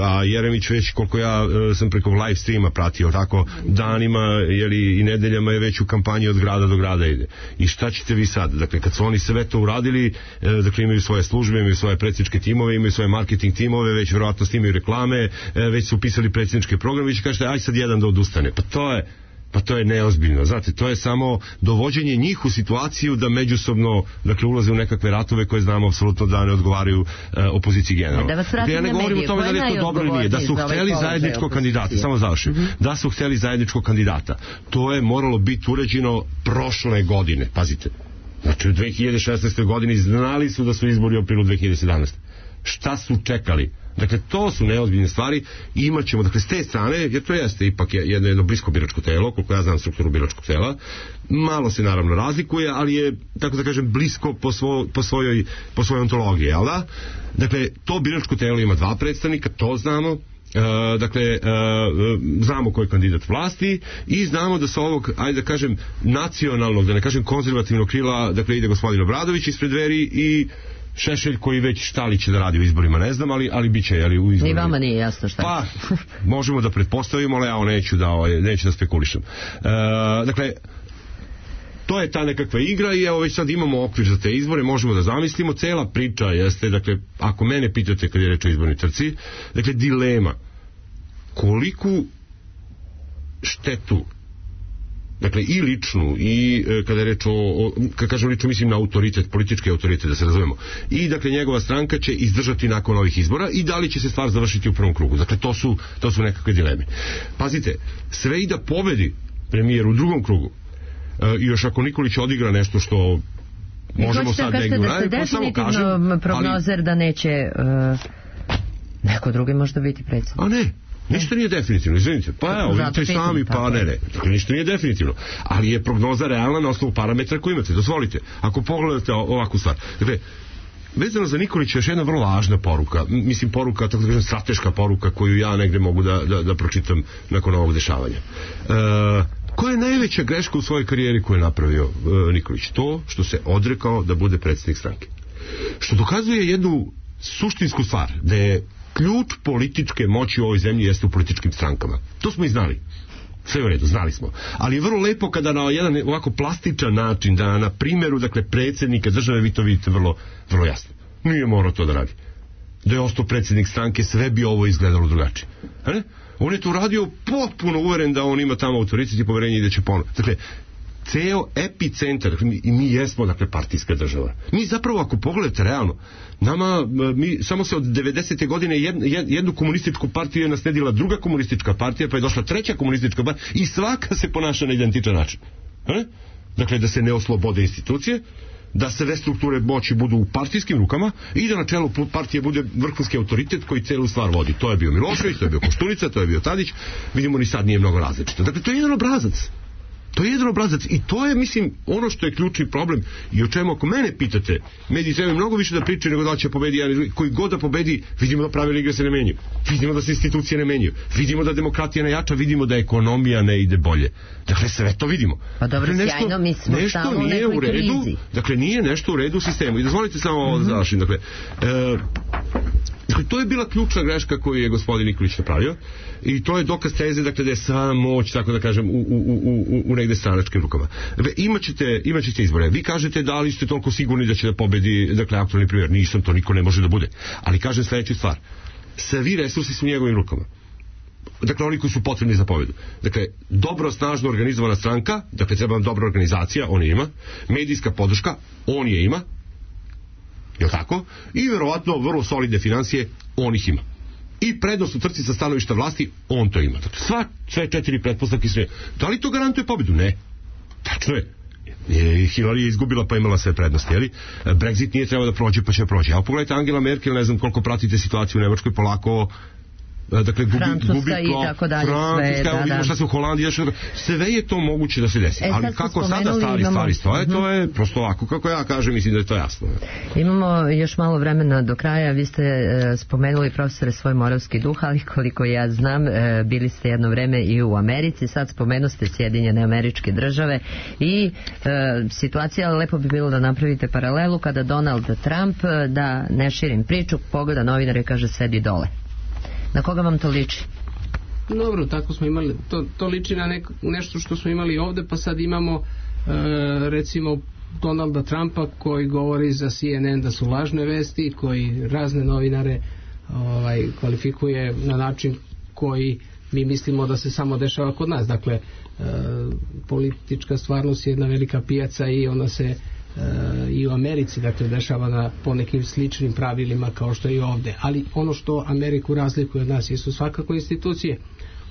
a Jeremić već, koliko ja sam preko live streama pratio tako danima, jeli, i nedeljama je već u kampanji od grada do grada ide. I šta ćete vi sad? Dakle, kad su oni sve to uradili, dakle, imaju svoje službe, imaju svoje predsjedničke timove, imaju svoje marketing timove, već vjerojatno snimaju reklame, već su upisali predsjedničke programe, vi će kažete, aj sad jedan da odustane. Pa to je Pa to je neozbiljno, znate, to je samo dovođenje njih u situaciju da međusobno, dakle, ulaze u nekakve ratove koje znamo apsolutno da ne odgovaraju e, opoziciji generalno. Da vas vratim ja ne na govorim medije, o tome da li je to dobro ili nije, da su hteli zajedničkog kandidata, samo završim, mm-hmm. da su hteli zajedničkog kandidata, to je moralo biti uređeno prošle godine, pazite, znači u dve hiljade šesnaestoj godini znali su da su izbori u aprilu dve hiljade sedamnaeste šta su čekali. Dakle, to su neozbiljne stvari i imat ćemo, dakle, s te strane, jer to jeste ipak jedno, jedno blisko biračko telo, koliko ja znam strukturu biračkog tela, malo se naravno razlikuje, ali je, tako da kažem, blisko po, svo, po, svojoj, po svojoj ontologiji, jel da? Dakle, to biračko telo ima dva predstavnika, to znamo, uh, dakle, uh, znamo ko je kandidat vlasti i znamo da sa ovog, ajde da kažem, nacionalnog, da ne kažem konzervativnog krila, dakle, ide gospodin Obradović ispred Dveri i Šešelj koji već šta li će da radi u izborima, ne znam, ali, ali bit će, ali u izborima. I vama nije jasno šta. Pa, možemo da pretpostavimo, ali ja neću da, neću da spekulišem. E, dakle, to je ta nekakva igra i evo već sad imamo okvir za te izbore, možemo da zamislimo, cela priča jeste, dakle, ako mene pitate kad je reč o izbornoj trci, dakle, dilema koliku štetu, dakle, i ličnu, i e, kada je reč o, o kada kažem lično, mislim na autoritet, politički autoritet, da se razumemo, i dakle njegova stranka će izdržati nakon ovih izbora i da li će se stvar završiti u prvom krugu. Dakle, to su, to su nekakve dileme. Pazite, sve i da pobedi premijer u drugom krugu, e, i još ako Nikolić odigra nešto što možemo sad negdje uraditi, da ste definitivno prognozer ali, da neće uh, neko drugi možda biti predsjednik. A ne, ništa nije definitivno, izvinite. Pa evo, vidite sami, pa ne, ne. Dakle, ništa nije definitivno. Ali je prognoza realna na osnovu parametra koji imate. Dozvolite, ako pogledate ovakvu stvar. Dakle, vezano za Nikolića je još jedna vrlo važna poruka. Mislim, poruka, tako da kažem, strateška poruka koju ja negde mogu da, da, da pročitam nakon ovog dešavanja. E, koja je najveća greška u svojoj karijeri koju je napravio e, Nikolić? To što se odrekao da bude predsjednik stranke. Što dokazuje jednu suštinsku stvar, da je ključ političke moći u ovoj zemlji jeste u političkim strankama. To smo i znali. Sve u redu, znali smo. Ali je vrlo lepo kada na jedan ovako plastičan način, da na primjeru, dakle, predsjednika države, vi to vidite vrlo, vrlo jasno. Nije morao to da radi. Da je ostao predsjednik stranke, sve bi ovo izgledalo drugačije. A ne? On je to uradio potpuno uveren da on ima tamo autoritet i poverenje i da će ponovno. Dakle, ceo epicentar, dakle, mi, mi jesmo, dakle, partijska država. Mi zapravo, ako pogledate realno, nama, mi samo se od devedesete godine jed, jed, jednu komunističku partiju je nasledila druga komunistička partija, pa je došla treća komunistička partija i svaka se ponaša na identičan način. E? Dakle, da se ne oslobode institucije, da sve strukture moći budu u partijskim rukama i da na čelu partije bude vrhunski autoritet koji celu stvar vodi. To je bio Milošević, to je bio Koštunica, to je bio Tadić, vidimo ni sad nije mnogo različito. Dakle, to je jedan obrazac. To je jedan obrazac i to je, mislim, ono što je ključni problem i o čemu, ako mene pitate, mediji trebaju mnogo više da pričaju nego da će pobedi jedan, koji god da pobedi, vidimo da pravila igre se ne menjaju, vidimo da se institucije ne menjaju, vidimo da demokratija ne jača, vidimo da ekonomija ne ide bolje. Dakle, sve to vidimo. Pa dobro, dakle, nešto, sjajno, mi smo nešto nije u redu, krizi. Dakle, nije nešto u redu u sistemu. I dozvolite samo ovo mm-hmm. završim. Dakle, e, dakle, to je bila ključna greška koju je gospodin Nikolić napravio i to je dokaz teze, dakle, da je sva moć, tako da kažem, u, u, u, u, u negde stranačkim rukama. Dakle, imaćete, imaćete izbore. Vi kažete da li ste toliko sigurni da će da pobedi, dakle, aktualni premijer. Nisam, to niko ne može da bude. Ali kažem sljedeću stvar. Svi resursi su u njegovim rukama. Dakle, oni koji su potrebni za pobedu. Dakle, dobro, snažno organizovana stranka, dakle, treba vam dobra organizacija, on je ima. Medijska podrška, on je ima. Jel' tako? I verovatno vrlo solidne financije, on ih ima. I prednost u trci sa stanovišta vlasti, on to ima. Dakle, sva, sve četiri pretpostavke sve. Da li to garantuje pobedu? Ne. Tačno je. Hillary je izgubila pa imala sve prednosti, jeli? Brexit nije trebao da prođe pa će prođe. A pogledajte Angela Merkel, ne znam koliko pratite situaciju u Nemačkoj, polako dakle gubi, Francuska gubi i tako dalje, Francuska, sve, da, vidimo da. šta se u Holandiji, sve je to moguće da se desi. E, ali kako sada stvari imamo... stvari stoje, to je prosto ovako, kako ja kažem, mislim da je to jasno. Imamo još malo vremena do kraja. Vi ste e, spomenuli, profesore, svoj moravski duh, ali koliko ja znam, e, bili ste jedno vreme i u Americi, sad spomenuste Sjedinjene Američke Države i e, situacija, lepo bi bilo da napravite paralelu kada Donald Trump, da ne širim priču, pogleda novinare i kaže sedi dole. Na koga vam to liči? Dobro, tako smo imali, to, to liči na nek, nešto što smo imali ovde, pa sad imamo e, recimo Donalda Trumpa koji govori za C N N da su lažne vesti, koji razne novinare ovaj, kvalifikuje na način koji mi mislimo da se samo dešava kod nas. Dakle, e, politička stvarnost je jedna velika pijaca i ona se i u Americi, dakle, dešava na po nekim sličnim pravilima kao što je i ovde. Ali ono što Ameriku razlikuje od nas jesu svakako institucije.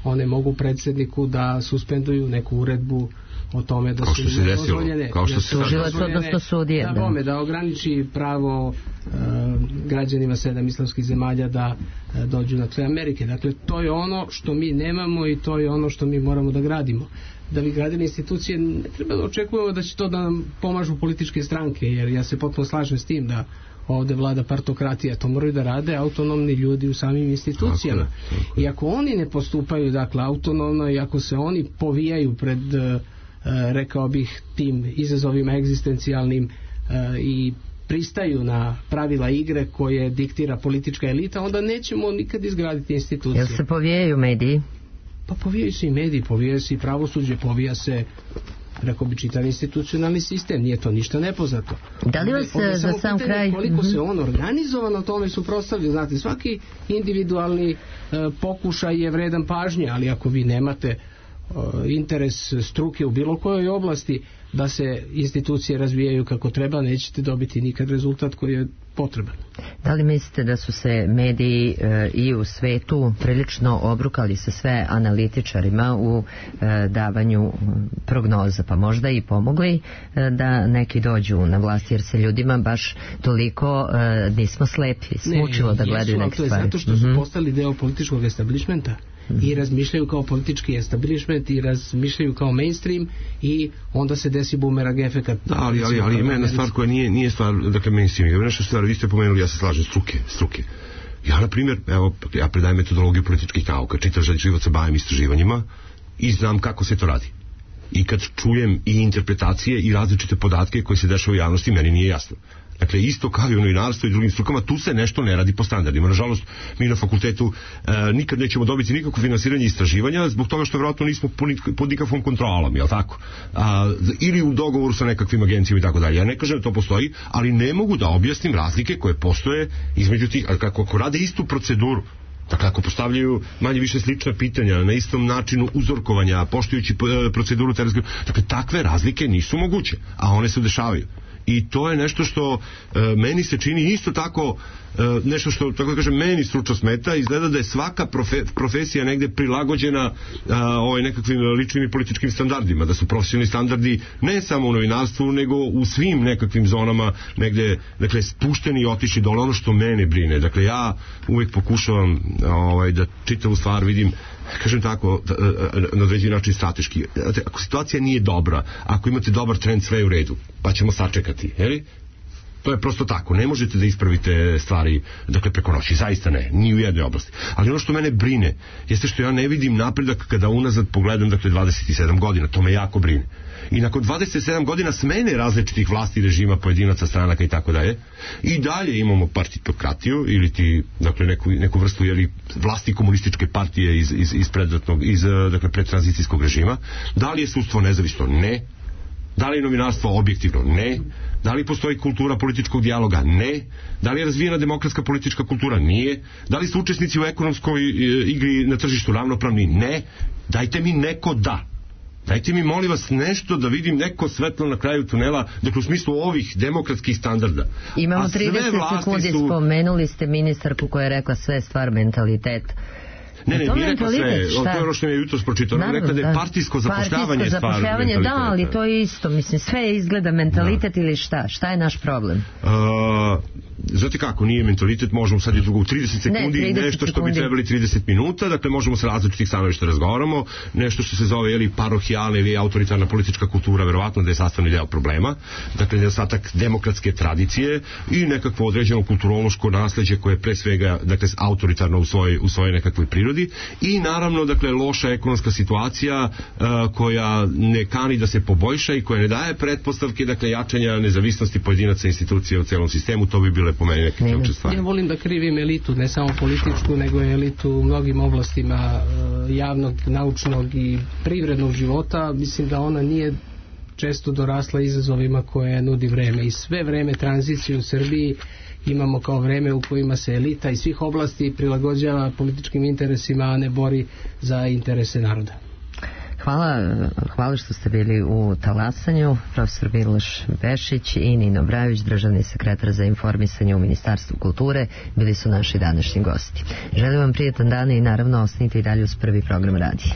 One mogu predsjedniku da suspenduju neku uredbu o tome da kao su se dozvoljene, kao što se tužilac odnosno sudije, da, da. da ograniči pravo uh, građanima sedam islamskih zemalja da e, dođu na tlo Amerike. Dakle, to je ono što mi nemamo i to je ono što mi moramo da gradimo. Da bi gradili institucije, ne treba da očekujemo da će to da nam pomažu političke stranke, jer ja se potpuno slažem s tim da ovde vlada partokratija, to moraju da rade autonomni ljudi u samim institucijama. Tako je, tako je. I ako oni ne postupaju, dakle, autonomno, i ako se oni povijaju pred, uh, rekao bih, tim izazovima egzistencijalnim uh, i pristaju na pravila igre koje diktira politička elita, onda nećemo nikad izgraditi institucije. Jel se povijaju mediji? Pa povijaju se i mediji, povijaju se i pravosuđe, povija se, rekao bi, čitav institucionalni sistem, nije to ništa nepoznato. Da li vas ovdje za sam kraj... Koliko mm-hmm. se on organizovano tome suprotstavlja, znate, svaki individualni e, pokušaj je vredan pažnje, ali ako vi nemate e, interes struke u bilo kojoj oblasti da se institucije razvijaju kako treba, nećete dobiti nikad rezultat koji je potreban. Da li mislite da su se mediji e, i u svetu prilično obrukali sa sve analitičarima u e, davanju prognoza, pa možda i pomogli e, da neki dođu na vlast, jer se ljudima baš toliko e, nismo slepi, smučilo da gledaju neke stvari. To je zato što su mm-hmm. postali deo političkog establishmenta i razmišljaju kao politički establishment i razmišljaju kao mainstream i onda se desi bumerang efekat. Da, ali, ali, ali ima jedna stvar koja nije, nije stvar, dakle, mainstream. Ima nešto stvar, vi ste pomenuli, ja se slažem, struke, struke. Ja, na primjer, evo, ja predajem metodologiju političkih nauka, čitav život se bavim istraživanjima i znam kako se to radi. I kad čujem i interpretacije i različite podatke koje se dešava u javnosti, meni nije jasno. Dakle, isto kao i u novinarstvu i drugim strukama, tu se nešto ne radi po standardima. Nažalost, mi na fakultetu e, nikad nećemo dobiti nikakvo finansiranje istraživanja, zbog toga što vjerojatno nismo pod nikakvom kontrolom, jel tako? A, ili u dogovoru sa nekakvim agencijama i tako dalje. Ja ne kažem da to postoji, ali ne mogu da objasnim razlike koje postoje između tih, kako ako rade istu proceduru, dakle, ako postavljaju manje više slična pitanja na istom načinu uzorkovanja, poštujući proceduru terenske, dakle, takve razlike nisu moguće, a one se dešavaju. I to je nešto što e, meni se čini isto tako, e, nešto što, tako da kažem, meni stručno smeta. Izgleda da je svaka profe, profesija negde prilagođena a, ovaj, nekakvim ličnim i političkim standardima, da su profesionalni standardi ne samo u novinarstvu, nego u svim nekakvim zonama negde, dakle, spušteni i otišli dole. Ono što mene brine, dakle, ja uvijek pokušavam ovaj, da čitavu stvar vidim, kažem tako, na određeni način strateški. Ako situacija nije dobra, ako imate dobar trend, sve je u redu, pa ćemo sačekati, jeli? To je prosto tako, ne možete da ispravite stvari, dakle, preko noći, zaista ne, ni u jednoj oblasti. Ali ono što mene brine jeste što ja ne vidim napredak kada unazad pogledam, dakle, dvadeset sedam godina, to me jako brine. I nakon dvadeset sedam godina smene različitih vlasti, režima, pojedinaca, stranaka i tako dalje, i dalje imamo partitokratiju ili ti, dakle, neku, neku vrstu, jeli, vlasti komunističke partije iz, iz, iz predratnog, iz, dakle, predtranzicijskog režima. Da li je sudstvo nezavisno? Ne. Da li je novinarstvo objektivno? Ne. Da li postoji kultura političkog dijaloga? Ne. Da li je razvijena demokratska politička kultura? Nije. Da li su učesnici u ekonomskoj igri na tržištu ravnopravni? Ne. Dajte mi neko da. Dajte mi, molim vas, nešto da vidim, neko svetlo na kraju tunela, dakle, u smislu ovih demokratskih standarda. Imamo trideset sekundi, su... spomenuli ste ministarku koja je rekla sve stvar mentalitet. Ne, ne, nije rekla sve, to je ono što mi je jutros pročitao, rekla da je partijsko zapošljavanje stvar mentaliteta. Da, ali to je isto, mislim, sve izgleda mentalitet, da. Ili šta? Šta je naš problem? Uh, znate kako, nije mentalitet, možemo sad i drugo u trideset sekundi, ne, trideset nešto što sekundi. Bi trebali tridedeset minuta, dakle možemo sa različitih stanovišta razgovaramo, nešto što se zove, jeli, parohijalna ili autoritarna politička kultura, verovatno da je sastavni deo problema, dakle nedostatak demokratske tradicije i nekakvo određeno kulturološko nasleđe koje je pre svega, dakle, autoritarno u svojoj, u svojoj nekakvoj prirodi. I naravno, dakle, loša ekonomska situacija uh, koja ne kani da se poboljša i koja ne daje pretpostavke, dakle, jačanja nezavisnosti pojedinaca institucija u celom sistemu. To bi bile po meni neke ključne stvari. Ja volim da krivim elitu, ne samo političku, nego elitu u mnogim oblastima uh, javnog, naučnog i privrednog života. Mislim da ona nije često dorasla izazovima koje nudi vreme. I sve vreme tranzicije u Srbiji imamo kao vreme u kojima se elita iz svih oblasti prilagođava političkim interesima, a ne bori za interese naroda. Hvala, hvala što ste bili u talasanju. Profesor Miloš Bešić i Nino Brajović, državni sekretar za informisanje u Ministarstvu kulture, bili su naši današnji gosti. Želim vam prijetan dan i naravno ostanite i dalje uz prvi program radija.